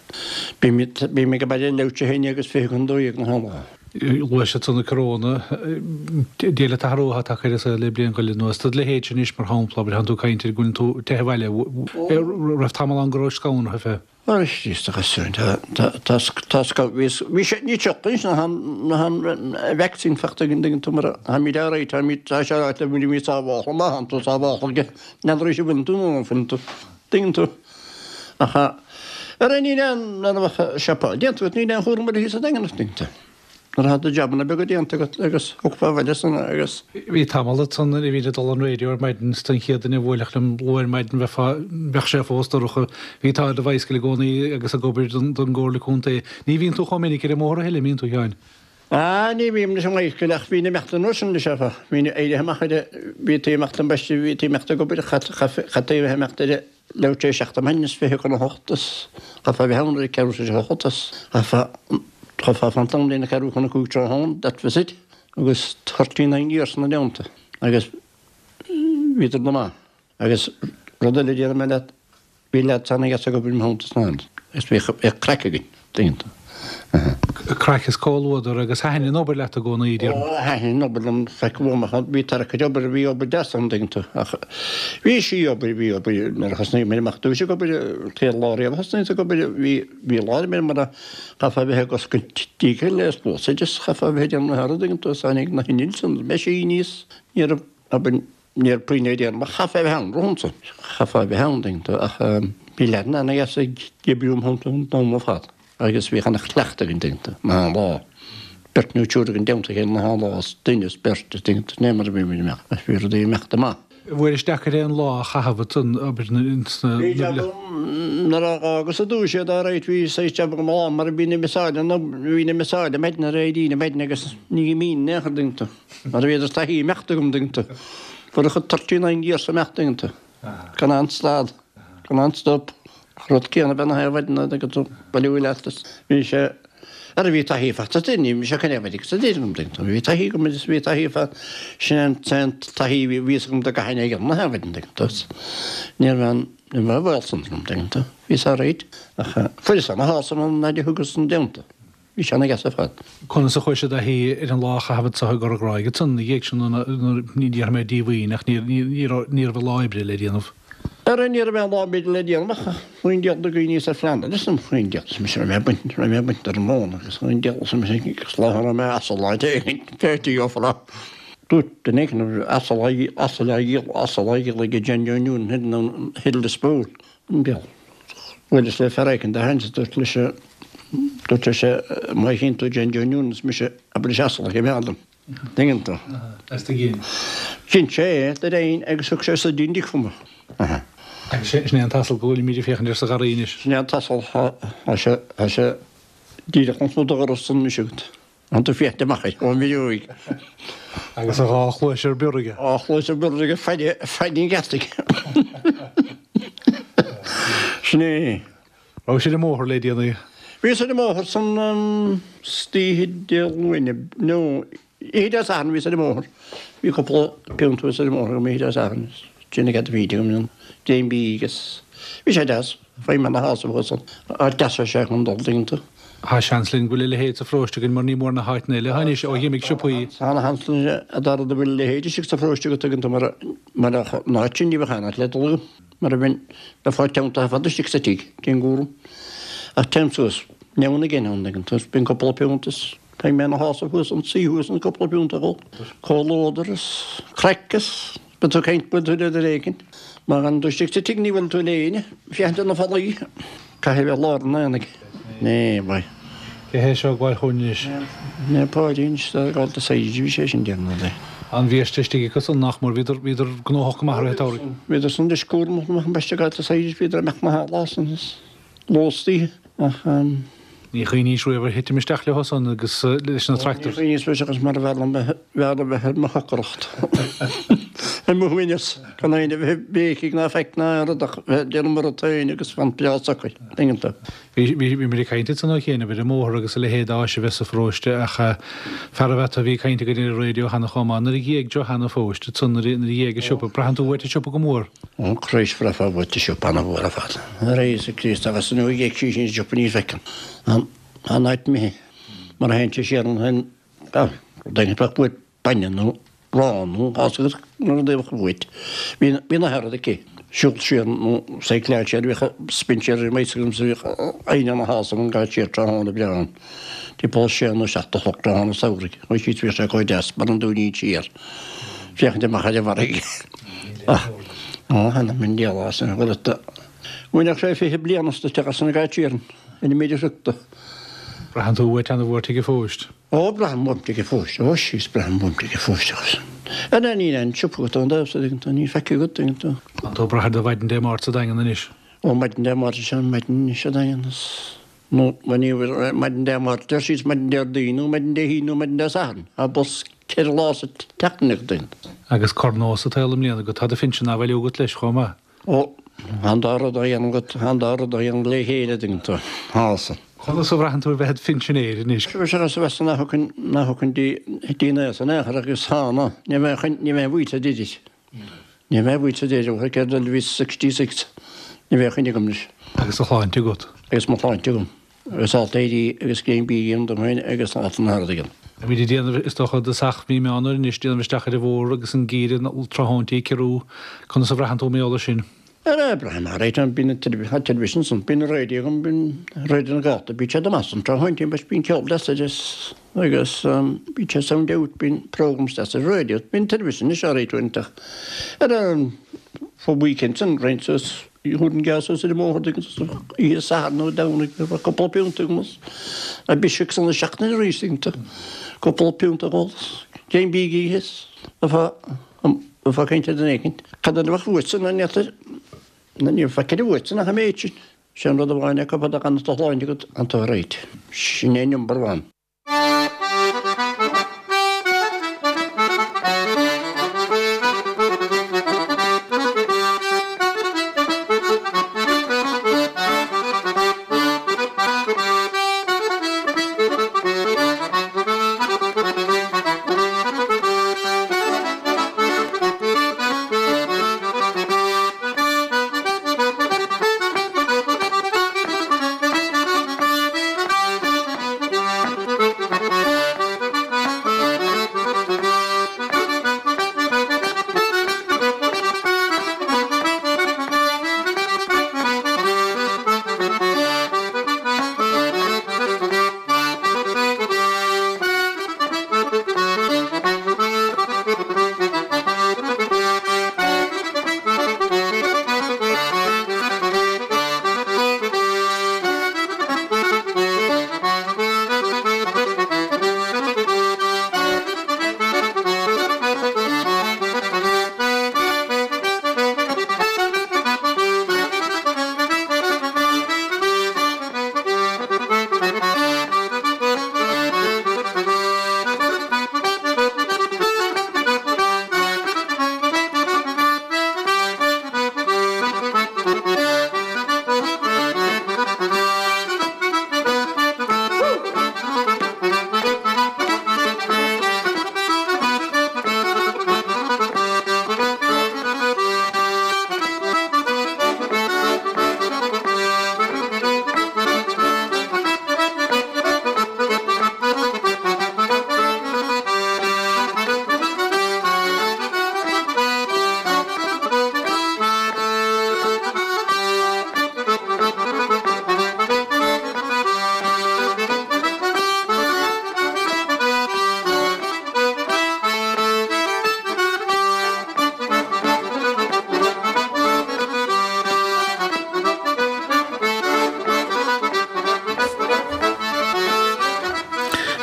Bím bím ag baile leathuair tar éis a haon agus fiche chun dó dhéag na haon lá. Luais ansan an coróna, Dia leat athrú atá tagtha ar an saol le bliain go leith anuas. Do leithéidse anois mar shampla, abair, tánn tú ag caint ar go bhfuileann tú ag teitheadh abhaile, raibh tamall ann go raibh scanraithe fé. Arís a ghasúin, tá tá bhí bhí sé ní teocht anois ná ná an vaccine fachta againn tuigeann tú mar táimid all right táimid tá sé ráite bhfuilimid sábhálta má thánn tú sábhálta aige n'fheadar arís an bhfuileann tú nó an bhfuileann tú tuigeann tú ach ar aon níl aon nuair a bheadh siopa déanta agat níl aon chúram ar thíos sa Daingean tuigeann tú. Nuair atá do jabanna beaga déanta agat agus thiocfá abhaile san agus. Bhí tamall ansan nuair a bhínn ag dul an raidió ar maidin is an chéad duine a bhuailfeadh liom luath ar maidin bheifeá, bheadh sé fós dorcha. Bhí tú ar do bhicycle i gcónaí agus ag obair don, don gComhairle Contae. Ní bhíonn tú chomh minic ar an mbóthar a thuilleadh, an mbíonn tú, a Sheáin? Ah, ní bhím leis an ngaoth ach bhínn ag imeacht an uair sin leis áfach. Bhínn éirithe amach ar a, bhí tú ag imeacht ambaiste, bhí tú ag imeacht ag obair, chaithfeá a bheith ag imeacht ar a leathuair tar éis seacht ar maidin is fiche chun a hocht is chaithfeá a bheith ann ar a ceathrú tar éis a hocht is chaithfeá, chaithfeá fanacht ann lena ceathrú chun a cúig tráthnóna, that was it. Agus thirty nine years ina dteannta agus bhíodar go maith. Agus rud eile a déarfaidh mé leat, Bhí leaids ana-dheas ag obair i mo theannta san am agus bhíodh craic againn, tuigeann tú. Craic is comhluadar agus thaitin an obair leat i gcónaí, déarfainn. Ó, thaitin an obair liom, feic uaim ach bhí tarrac ar obair, bhí obair deas ann, tuigeann tú. Ach bhí sí obair, bhí obair, nuair a thosnaigh mé amach dtús ag obair, céad lá riamh a thosnaíos ag obair, bhí, bhí lá ar mé mar a chaithfeá a bheith ag oscailt díge le spluasaid is chaithfeá a bheith ag déanamh na haire, tuigeann tú, is tháinig na hinnill san, meaisíní is ní raibh obair, Ní raibh puinn le déanamh ach chaithfeá a bheith ann romhamsa. Chaithfeá a bheith ann, tuigeann tú, ach bhí leaideanna ana-dheas ag oibriú im theannta an t-am ar fad agus bhíodh ana-chleachtadh againn, tuigeann tú, na haon lá. Beirt nó triúr againn i dteannta a chéile na haon lá is duine is beirt, tuigeann tú, sin é mar a bhí muid ag imeacht agus bhí rudaí ag imeacht amach. Bhuel is deacair aon lá a chaitheamh ansan obair sna. Bhí jab agam nuair a dh'fhágas i dtús iad alright bhí saghas jab agam lá mar bhí na misáil bhí na misáil maidin ar éirí maidin agus ní imínn in aon chor, tuigeann tú. Mar a bhíodar taithí imeacht agam, tuigeann tú. Fuair a chuid thirty nine years imeacht, tuigeann tú. Gan aon stad, gan aon stop. Ach rud céanna bean na haon mhaidin, tuigeann tú, bailiú leat is bhí sé, ara bhí taithí faighte sa duine, ní mise chun é a bheith sa duine agam, tuigeann tú. Bhí taithí agam agus bhí taithí fa, sin an t-aon taithí a bhí fhios agam do gcaithfinn é a dhéanamh na haon mhaidin, tuigeann tú. Ní raibh aon, ní raibh aon bhaol san agam, tuigeann tú. Bhíos alright. Ach fuaireas ana-shásamh ón fhaid a thugas an déanta. Bhí sé ana-dheas ar fad. Conas a chuaigh sé i dtaithí ar an lá a chaitheamh anseo i gCora Gráige ansan ina dhiaidh sin nuair, ní déarfaidh mé díomhaoin ach ní raibh an lá oibre le déanamh. Ara ní raibh aon lá oibre le déanamh ach chuaigh an diabhal de dhaoine ar phlean eile san chuaigh an diabhal is mise raibh mé ag baint raibh mé ag baint ar an móin agus chuaigh an diabhal is mise agus lá a raibh mé asal á dtéigh féilte gheofar á Dúirt duine éigin raibh asal á asal á dhíol asal á dhíol ag John Joe Noonan thoir in Hill the Spool an diabhal. Bhuaileas le fear éicint a tháinig dúirt leis dúirt leis má chíonn tú John Joe Noonan is mise abair leis asal a choimeád dom. Tuigeann tú. As do ghin. Dhein sé é de réir agus thug sé suidín di chugam. Agus sin é an t-asal go bhfuilimid ag féachaint air sa gharraí anois. Sin é an t-asal tá sé tá sé díreach lasmuigh do dhoras anois agat. Tá tú féachaint amach air ón bhfuinneoig. Agus a dhá chluais ar bior aige. Dhá chluais ar bior aige fad fad an gheataigh. Sin é. Raibh sé ar an mbóthar le déanaí? Bhíos ar an mbóthar san oíche Dé Luain, nó oíche Dé Sathairn bhíos ar an mbóthar. Bhí cúpla punt thuas ar an mbóthar agam oíche Dé Sathairn. Sin ag a bhí agam an dréim bídh agus bhí sé deas. Fuair mé ana-shásamh thuas ann. Áit deas é sé chun dul, tuigeann tú. Tá seans linn go bhfuil a leithéid sa pharóiste againn mar ní mór na háiteanna eile anois ó dh'imigh siopaí. Tá ana-sheans linn a Dhara go bhfuil a leithéid istigh sa pharóiste agat tuigeann tú mar mar an áit sin ní bheadh aon áit le dul agam mar a bheinn bheifeá teanntaithe fada istigh sa tigh cén cúram ach téim suas now and again ann tuigeann tú bíonn cúpla punt is beidh mé ina shásamh thuas an suí thuas an cúpla punt a dhul comhluadar is craic is Bíonn tú ag caint buail tú le duine éigin. Má fhanann tú istigh sa tigh ní bhuaileann tú le éinne. Féachaint ar na fallaí. Caithfidh a bheith lár an aonaigh. Né, bhai. Cé hé seo ag gabháil chugainn anois? Né Páidín, ag gabháil do saighid a bhí sé sin déanamh de. An-bhiaiste istigh acu san nach mór, bhíodar, bhíodar gnóthach go maith i rith an tsamhraidh. Bhíodar san anois cúramach amach ambaiste ag gabháil do saighid, bhíodar ag imeacht na h-lá san is lóstaí ach. Ní chuimhníos riamh ar thitim isteach leo san agus leis na tractors. Ní chuimhníos riamh agus mar b'fhearr liom bheith, b'fhearr liom bheith ar mo shocracht, ar mo shuaimhneas, gan éinne a bheith ag béicigh ná faic ná aon rud ach bheith ag déanamh mo rud féin agus fan breá socair, tuigeann tú. Bhí, bhí, bhí muid ag caint ansan ó chianaibh ar an mbóthar agus a leithéid d'áis a bheith sa pharóiste ach fear a bheith a bhí ag caint againn ar an raidió cheana chomh maith nuair a d'éag Johanna Fóist ansan nuair a, nuair a d'éag an siopa, braitheann tú uait an siopa go mór. Ó Christ bhraithfeá uait an siopa ana-mhór ar fad. A Íosa Críost agus nuair a d'éag sí sin an siopa ní fheiceann an an áit imithe mar a théann sé siar an an rud éigin bheadh uait bainne nó arán nó fás agus nó rud éigin uait. Bhí bhí na rud aici. Siúl siar nó cycleáil siar bhíodh spinséar ar maos agam so bhíodh éinne ina shásamh an gabháil siar tráthnóna breá ann. Timpeall sé nó seacht a chlog tráthnóna samhraidh. Chuaigh sí bhíodh sé chomh deas mar an dúinín siar. Féachaint amach ar an bhfarraige. Ach, ó, th'anam 'on diabhal as an bhfuil ata. Bhainfeadh sé fiche bliain as duit agus an gcait siar ina míle sriocta. Braitheann tú uait ana-mhór Tigh a' Phóist. Ó, braithim uaim Tigh a' Phóist. Ó, síos, braithim uaim Tigh a' Phóist agus an níl aon siopa agat ón dtaobh so, tuigeann tú, níl feicthe agat, tuigeann tú. Tá tú ag brath ar do mhaidin Dé Máirt sa Daingean anois. Ó, maidin Dé Máirt is ea, maidin anois sa Daingean is. Nó ní maidin Dé Máirt, deir siad maidin Déardaoin nó maidin Dé hAoine nó maidin Dé Sathairn. Tá bus ceithre lá sa tseachtain ag duine. Agus corr-nós atá i mbliana agat, tá do phinsean á bhailiú agat leis chomh maith. Ó, tá an dá rud á dhéanamh agat, tá an dá rud á dhéanamh le chéile dtuigeann tú. Tá san. Conas a bhraitheann tú a bheith id phinsinéir anois? Sea, sea, sea, sea, nach thugann, nach thugann dí, dí na san aon chor agus tá ná, ní bheinn, ní bheinn buaite duit. Ní bheinn buaite duit, ó céard a bhí sixty six, ní bheadh coinne agam anois. Agus do shláinte agat. Agus mo shláinte agam. Agus alt éirí agus greim bídh a dhéanamh dom féin agus alt an thart agam. Táimid ag déanamh, is dócha, i dtosach mí Meán Fhómhair anois, déanamh isteach ar an bhfómhar agus an geimhreadh tráthnóintí ag ciorrú. Conas a bhraitheann tú mar gheall air sin? Ara, braithim alright, bíonn an teilifís ansan, bíonn an raidió agam, bíonn Raidió na Gaeltachta, bíonn sé go maith san tráthnóintí, but bíonn ceol deas air agus bíonn sé sound out, bíonn programs deas ar an raidió, bíonn an teilifís anois alright uaireanta. Ara, fá weekend san, roinnt suas, thabharfainn geábh suas ar an mbóthar oíche Sathairn nó Domhnaigh, bheadh cúpla piúnta agam is a biseach san seachtain arís, cúpla piúnta a dh'ól, greim bídh a ithe is a Bheifeá ag caint ar duine éicint. Cad é a bheadh uaitse ná ní ní bheadh ceithre uaitse nach an méid sin. Sé an rud amháin é fad a fhanann do shláinte agat tánn tú alright. Sin é number one.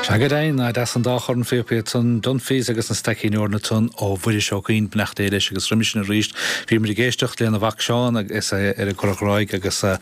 Sea go deimhin, nach deas an dá chorn phíopaí ansan, Dunphy's agus an Staicín Eorna ansan ó Mhuiris Ó Cuinn, beannacht Dé leis agus roimis sin arís bhí muid ag éisteacht lena mhac Seán agus é ar an gCurrach Ghráig agus an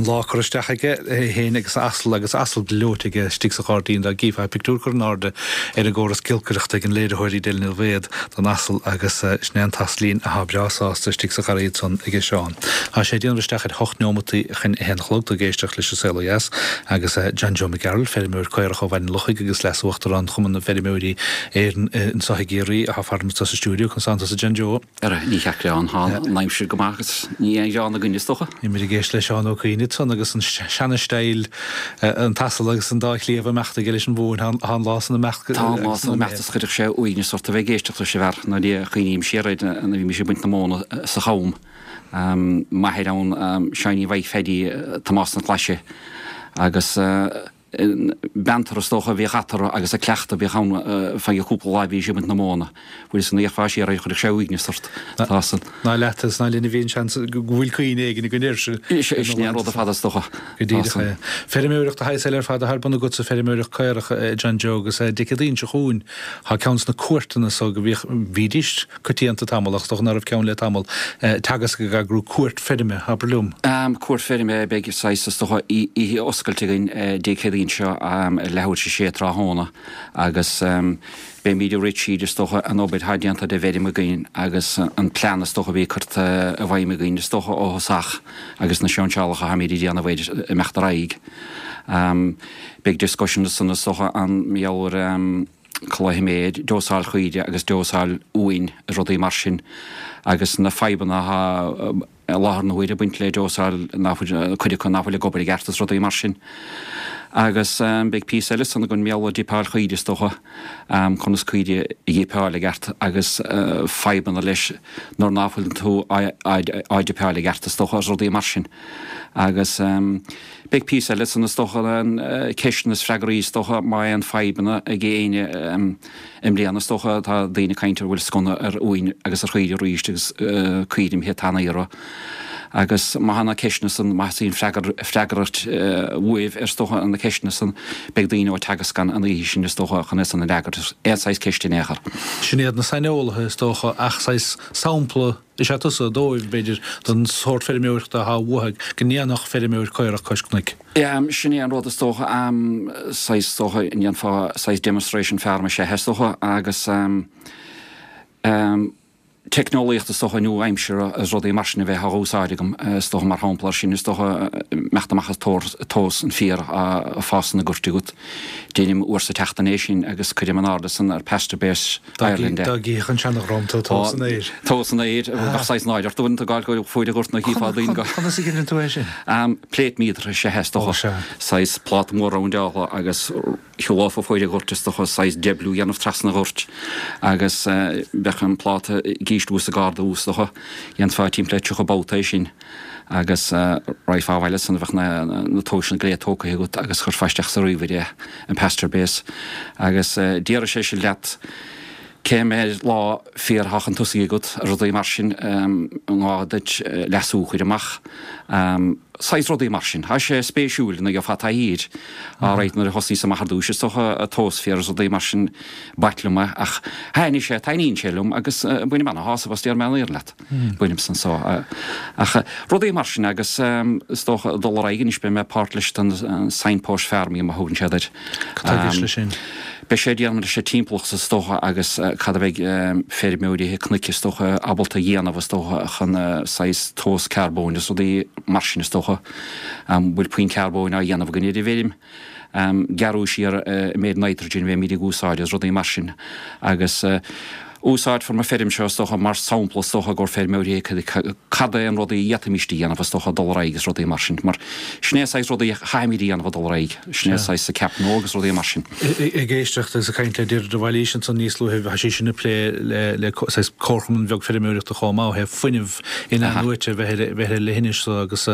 lá curtha isteach aige é féin agus a asal agus asal gleoite aige istigh sa ghairdín dá gcífeá pictiúr curtha in airde ar an gcóras giolcaireachta ag an léiritheoir Edel Ní Bhaod don asal agus sin é an t-asailín atá breá sásta istigh sa gharraí ansan aige Seán. Tá sé ag déanamh isteach ar hocht neomataí chun a haon a chlog, tú ag éisteacht leis An Saol Ó Dheas agus John Joe Mac Gearailt, feirmeoir caorach ó Bhaile an Lochaigh agus Leas-Uachtarán Chumann na bhFeirmeoirí Éireann anseo i gCiarraí atá fara sa stiúideo. Conas tánn tusa John Joe? Ara, ní cheart gearán, tá an aimsir go maith agus ní aon ghearán againn is dócha. Bhí muid ag éisteacht le Seán Ó Cuinn ansan agus an seana-steil, an t-asal agus an dá chliabh ag imeacht aige leis an mhóin, tá an lá san imeacht. Tá an lá san imeacht is chuirfeadh sé uaigneas ort a bheith ag éisteacht leis an bhfear nuair a chuimhním siar air nuair a bhí mise ag baint na móna sa Cham. M'athair ann, Seáinín Mhaidhc Pheaidí Tomás na Claise agus Banter is dócha a bhíodh eatarthu agus an cleachtadh a bhíodh ann feadh cúpla lá a bhí siad ag baint na móna. Bhuel is an fhéachfá siar air chuirfeadh sé uaigneas ort. Tá san. Ná leat is ná linn a bhí an seans go bhfuil cuimhne éigin againn air sin. Sin é an rud ar fad is dócha. Go díreach é. Feirmeoireacht de shaghas eile ar fad atá ar bun agatsa, feirmeoireacht caorach, John Joe, agus Dé Céadaoin seo chugainn tá ceann de na cuairteanna so go bhíodh, bhídís coitianta tamall ach is dócha ná raibh ceann le tamall, Teagasc ag eagrú cuairt feirme, abair liom. Cuairt feirme, beidh saghas is dócha oíche oscailte againn Dé Céadaoin seo ar leathuair tar éis a sé tráthnóna agus beimid ag rith tríd is dócha an obair atá déanta de bhfeirm againn agus an plean is dócha a bhí curtha i bhfeidhm againn is dócha ó thosach agus na seinnseálacha atáimid a dhéanamh air imeacht ar aghaidh. Beidh discussion ansan is dócha an mar gheall ar culaith méid, dósáil chaoire agus dósáil uain is rudaí mar sin agus na fadhbanna atá i láthair na huaire ag baint le dósáil nach bhfuil, cuid acu nach bhfuil ag obair i gceart is rudaí mar sin. Agus beidh píosa eile ansan againn mar gheall ar dipeáil chaoire is dócha, conas caoire a dhípeáil i gceart agus fadhbanna leis nuair ná fuil tú á dipeáil i gceart is dócha is rudaí mar sin. Agus beidh píosa eile ansan is dócha, ceisteanna is freagraí is dócha má aon fadhbanna ag éinne i mbliana is dócha tá daoine ag caint ar bhfuil sconna ar uain agus ar chaoire arís agus caoire imithe tanaí orthu. Agus má tá na ceisteanna san, má theastaíonn freagairt uaibh ar is dócha na ceisteanna san, beidh daoine ó Teagasc ann an oíche sin is dócha chun é san a fhreagairt, aon saghas ceist in aon chor. Sin iad na saineolaithe is dócha ach saghas sampla is ea tusa dóibh, b'fhéidir, den sórt feirmeoireachta atá uathu, go ndéanfadh feirmeoir caorach cois cnoic. Sin é an rud is dócha, saghas is dócha, ndéanfá saghas demonstration farm is ea is dócha agus teicneolaíocht is dócha nua-aimseartha is rudaí mar sin a bheith á úsáid agam is dócha mar shampla ar sin is dócha imeacht amach ag tomhas an féar ag fás sna goirt agat. Deinim uair sa tseachtain é sin agus cuirim in airde san ar PastureBase Ireland é. Dá gcífeadh an seana-dhream tú tomhas an fhéir. Tomhas an fhéir, bheadh saghas náire ort uaireanta ag gabháil go fuair an ghort nó chífeá daoine go. Conas a dheineann tú é sin? Plate meter is ea é is dócha. Saghas pláta mór roundáilte agus shiúlófá fuaid an ghoirt is dócha saghas deich bliú a dhéanamh trasna an ghoirt agus bheadh an pláta ag ísliú is ag ardú is dócha. Dhéanfá timpeall le tríocha babhta é sin agus raghfá abhaile ansan bheadh na tomhaiseanna go léir tógtha agat agus chuirfeá isteach sa ríomhaire é, an PastureBase agus déarfaidh sé sin leat cé mhéad lá féar atá chun tosaigh agat, rudaí mar sin, an gá duit leasú a chur amach. Saghas rudaí mar sin. Tá sé spéisiúil nuair a gheofá taithí air. Alright, nuair a thosnaíos amach ar dtúis is dócha ag tomhas féir is rudaí mar sin b'ait liom é ach thaitnigh sé, taitníonn sé liom agus bainim ana-shásamh as déarfaidh mé an fhírinne leat. Bainim san so. Ach rudaí mar sin agus is dócha ag dul ar aghaidh anois beidh mé páirt leis den signpost farming mar a thugann siad air. Cad tá i gceist leis sin? Beidh sé ag déanamh leis an timpeallacht is dócha agus cad a bheidh feirmeoirí cnoic is dócha ábalta a dhéanamh is dócha chun saghas tomhas carbóin is rudaí mar sin is dócha. An bhfuil puinn carbóin á dhéanamh againn ar an bhfeirm? Gearradh siar an méid nitrogen a bheimid ag úsáid is rudaí mar sin agus úsáidfear mo feirm seo is dócha mar sampla is dócha do feirmeoirí cad é an rud a d'fhéadfaimíst a dhéanamh is dócha dul ar aghaidh is rudaí mar sin mar sin é an saghas rudaí a chaithfimid a dhéanamh a dul ar aghaidh sin é an saghas sa ceap nua agus rudaí mar sin. Ag éisteacht agus ag caint le Deirdre de Bhailís ansan níos luaithe bhí sí sin ag plé le le saghas comharchumann bheag feirmeoireachta chomh maith ó thaobh fuinneamh in-athnuaite a bheith ar bheith ar leithinis so agus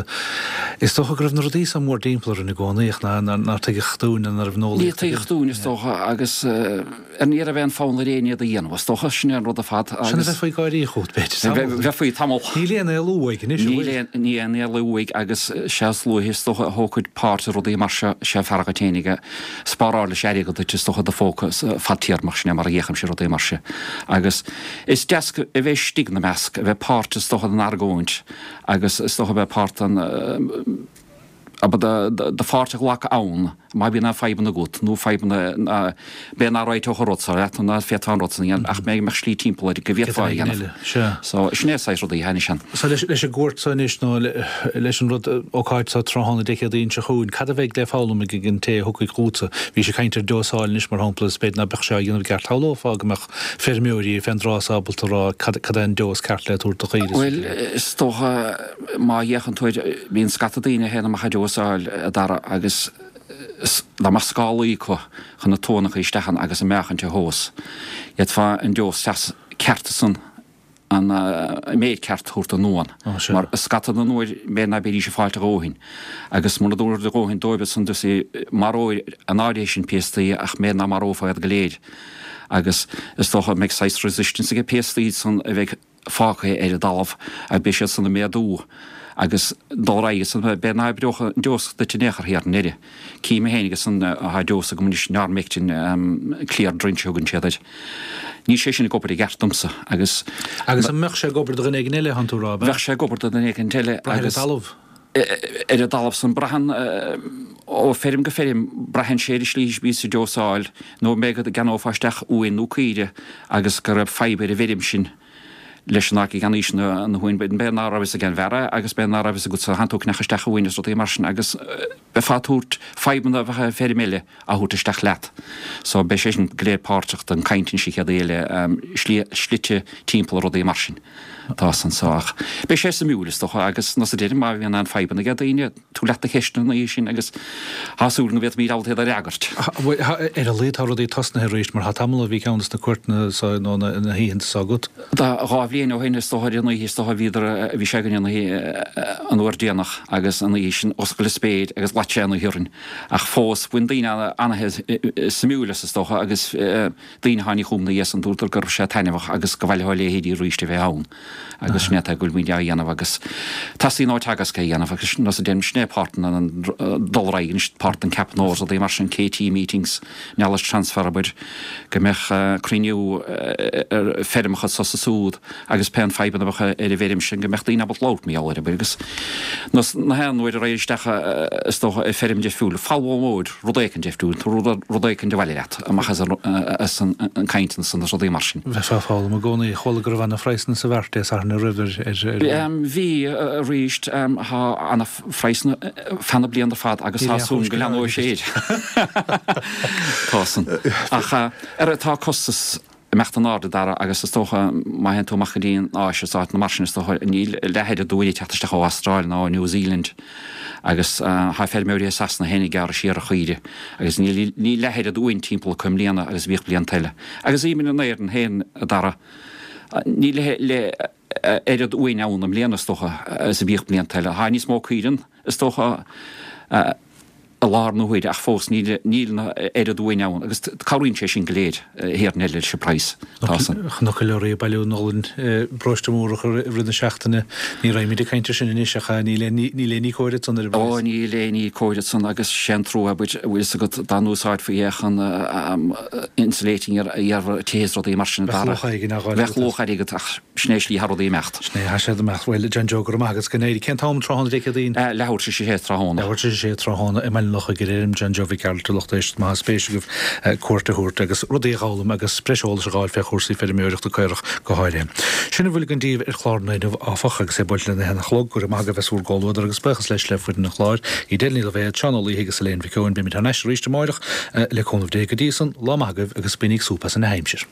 is dócha go raibh na rudaí so mór-dtimpeall orainn i gcónaí ach nár tuigeadh dúinn ná raibh an Ní tuigeadh dúinn is dócha agus ar ní raibh aon fonn ar éinne iad a dhéanamh, is dócha, sin é an rud ar fad agus. Sin a bheifí ag gáirí fút, b'fhéidir, tamall. Bheifí tamall. Níl aon éalú uaidh anois, an bhfuil? Níl aon, ní aon éalú uaidh agus sé is luaithe is dócha a thógfaid páirt i rudaí mar seo, sé fearr dhuit fhéinig é. Spáráil leis airgead duit is dócha i do phóca fadtéarmach, sin é mar a fhéachaimse ar rudaí mar seo. Agus is deas a bheith istigh ina measc, a bheith páirt is dócha den argóint agus is dócha a bheith páirt den, Abair do pháirt a ghlacadh ann má bhíonn aon fadhbanna agat nó fadhbanna b'fhéidir nach réiteodh an rud seo leat nó nach bhféadfá an rud san a dhéanamh ach b'fhéidir go mbeadh slí timpeall air go bhféadfá é a dhéanamh. So, sin é saghas rudaí a thaitníonn ann. So leis an gcuairt seo anois nó leis an rud, ócáid seo tráthnóna Dé Céadaoin seo chugainn, cad a bheidh le foghlaim ag an té a thiocfaidh chugatsa? Bhís ag caint ar deosáil anois mar shampla is b'fhéidir ná beadh sé á dhéanamh i gceart. Shamhlófá go mbeadh feirmeoirí fén dtráth so ábalta a rá cad é an deos ceart le tabhairt do chaoire. Bhuel, is dócha má fhéachann tú air, bíonn scata daoine a théann amach ag deosáil, a Dhara, agus dá mbeadh scálaí acu chun na tuanna a chur isteach ann agus an meáchan a thomhas, d'fhéadfá an deos ceart san an méid ceart a thabhairt don uan. Mar scata den uair b'fhéidir ná beidís ag fáilt a dhóthain. Agus muna dtabharfair a dhóthain dóibh ansan maróir an áirithe sin péastaí ach b'fhéidir ná marófá iad go léir. Agus is dócha go mbeidh saghas resistance ag péastaí san a bheidh fágtha ar an dtalamh agus beidh siad san ag méadú agus dul ar aghaidh san b'fhéidir ná hoibreodh an deos duit in aon chor thiar i ndeireadh. Cím féin agus an tá deos agam anois Noromectin clear drench a thugann siad air. Níl sé sin ag obair i gceart domsa agus. Agus an mbeadh sé ag obair do dhuine éigin eile, thánn tú a rá, ab ea? Bheadh sé ag obair do dhuine éigin eile agus. Braith ar an talamh. Ar an dtalamh san braitheann ó feirm go feirm, braitheann sé ar an slí a bhíos ag deosáil nó b'fhéidir go gceannófá isteach uain nó caoire agus go raibh fadhb ar an bhfeirm sin leis an áit go gceannaís na huain, b'fhéidir ná raibh fhios ag an bhfear é agus b'fhéidir ná raibh fhios agatsa, thánn tú ag ceannach isteach uain is rudaí mar sin agus beifeá ag tabhairt fadhbanna a bheadh ar feirm eile á thabhairt isteach leat. So beidh sé sin go léir páirteach den caint an chéad oíche eile, slite timpeall rudaí mar sin atá anso ach beidh sé suimiúil is dócha agus nós a deirim má bhíonn aon fadhbanna ag daoine, tabhair leat do cheisteanna an oíche sin agus tá súil go bhféadfaimid ábalta iad a fhreagairt. Ar a laghad tá rudaí tosnaithe arís mar tá tamall ó bhí ceann des na cuairteanna so nó na hoícheanta so agat. Tá dhá bhliain ó shin is dócha ar an oíche is dócha bhíodar bhí sé againn an oíche an uair déanach agus an oíche sin oscail an spéir agus shlad sé an oíche orainn ach fós bhain daoine ana-suimiúil as is dócha agus daoine a tháinig chugam ina dhiaidh san dúradar go raibh sé taitneamhach agus gur mhaith leo a leithéidí arís a bheith ann agus sin é atá go bhfuil muid á dhéanamh agus teastaíonn ó Teagasc é a dhéanamh agus nós a deirim sin é páirt den dul ar aghaidh anois páirt den ceapadh nua rudaí mar sin KT meetings knowledge transfer abair go mbeadh cruinniú ar feirmeacha anso is ansúd agus pé an fadhbanna a bheadh ar an bhfeirm sin go mbeadh daoine ábalta labhairt mar gheall air abair agus nós na haon uair a raghair isteach is dócha i feirm difriúil foghlaimeoir rud éicint difriúil tú rud rud éicint abhaile leat amach as an as an an caint san is rudaí mar sin. Bheifeá ag foghlaim i gcónaí. Chuala go raibh ana phraghsanna sa mhart Dé Sathairn roimh ar ar. Bhí arís tá ana phraghsanna feadh na bliana ar fad agus tá súil go leanóidh sé air. Tá san. Ach ar tá costas ag imeacht in airde Dara agus is dócha má théann tú amach go dtí an Áis is áiteanna mar sin is dócha níl leath oiread uain ag teacht isteach ó Astráil ná ó New Zealand agus tá feirmeoirí i Sasana féin ag gearradh siar ar chaoire agus níl níl leath oiread uain timpeall acu i mbliana agus a bhíodh blianta eile. Agus even in Éirinn féin a Dara níl le oiread uain ann i mbliana is dócha is a bhíodh blianta eile. Tá níos mó caoire ann is dócha i láthair na huaire ach fós níl níl na oiread uain ann agus cabhraíonn sé sin go léir thiar in leis an praghas. Tá san. Chonac leoraí ag bailiú anall i bparóiste Múrach i rith na seachtaine. Ní raghaimid ag caint air sin anois ach níl aon níl aon ní cóir ansan ar an Ó bpraghas. níl aon ní cóir ansan agus sé an trua abair a bhfuil fhios agat dá n-úsáidfí é chun insulating a dhéanamh ar tithe is rudaí mar sin a Bheadh luach éigin á dh'fháil Bheadh agat as. luach airgid ach sin é slí thá rudaí ag imeacht. Sin é, thá siad ag imeacht. Bhuel, John Joe, go raibh maith agat. Go n-éirí. Cén t-am tráthnóna Dé Céadaoin? Leathuair tar éis a sé tráthnóna. Leathuair tar éis a sé tráthnóna i mBaile an Lochaigh ar fheirm John Joe Mhic Gearailt a lucht éisteachta má tá spéis agaibh cuairt a thabhairt agus rudaí a dh'fhoghlaim agus breis eolais a dh'fháil fé chúrsaí feirmeoireachta caorach go háirithe. Sin a bhfuil againn daoibh ar chlár an lae inniu áfach agus é buailte lena haon a chlog. Go raibh maith agaibh as bhur gcomhluadar agus buíochas leis le foireann an chláir, Edel Ní Loibhéad, Seán Ó Laoithe agus Elaine Mhic Eoin. Beimid thar n-ais arís amáireach le cúnamh Dé. Go dtí san, lá maith agaibh agus bainigí súp as an aimsir.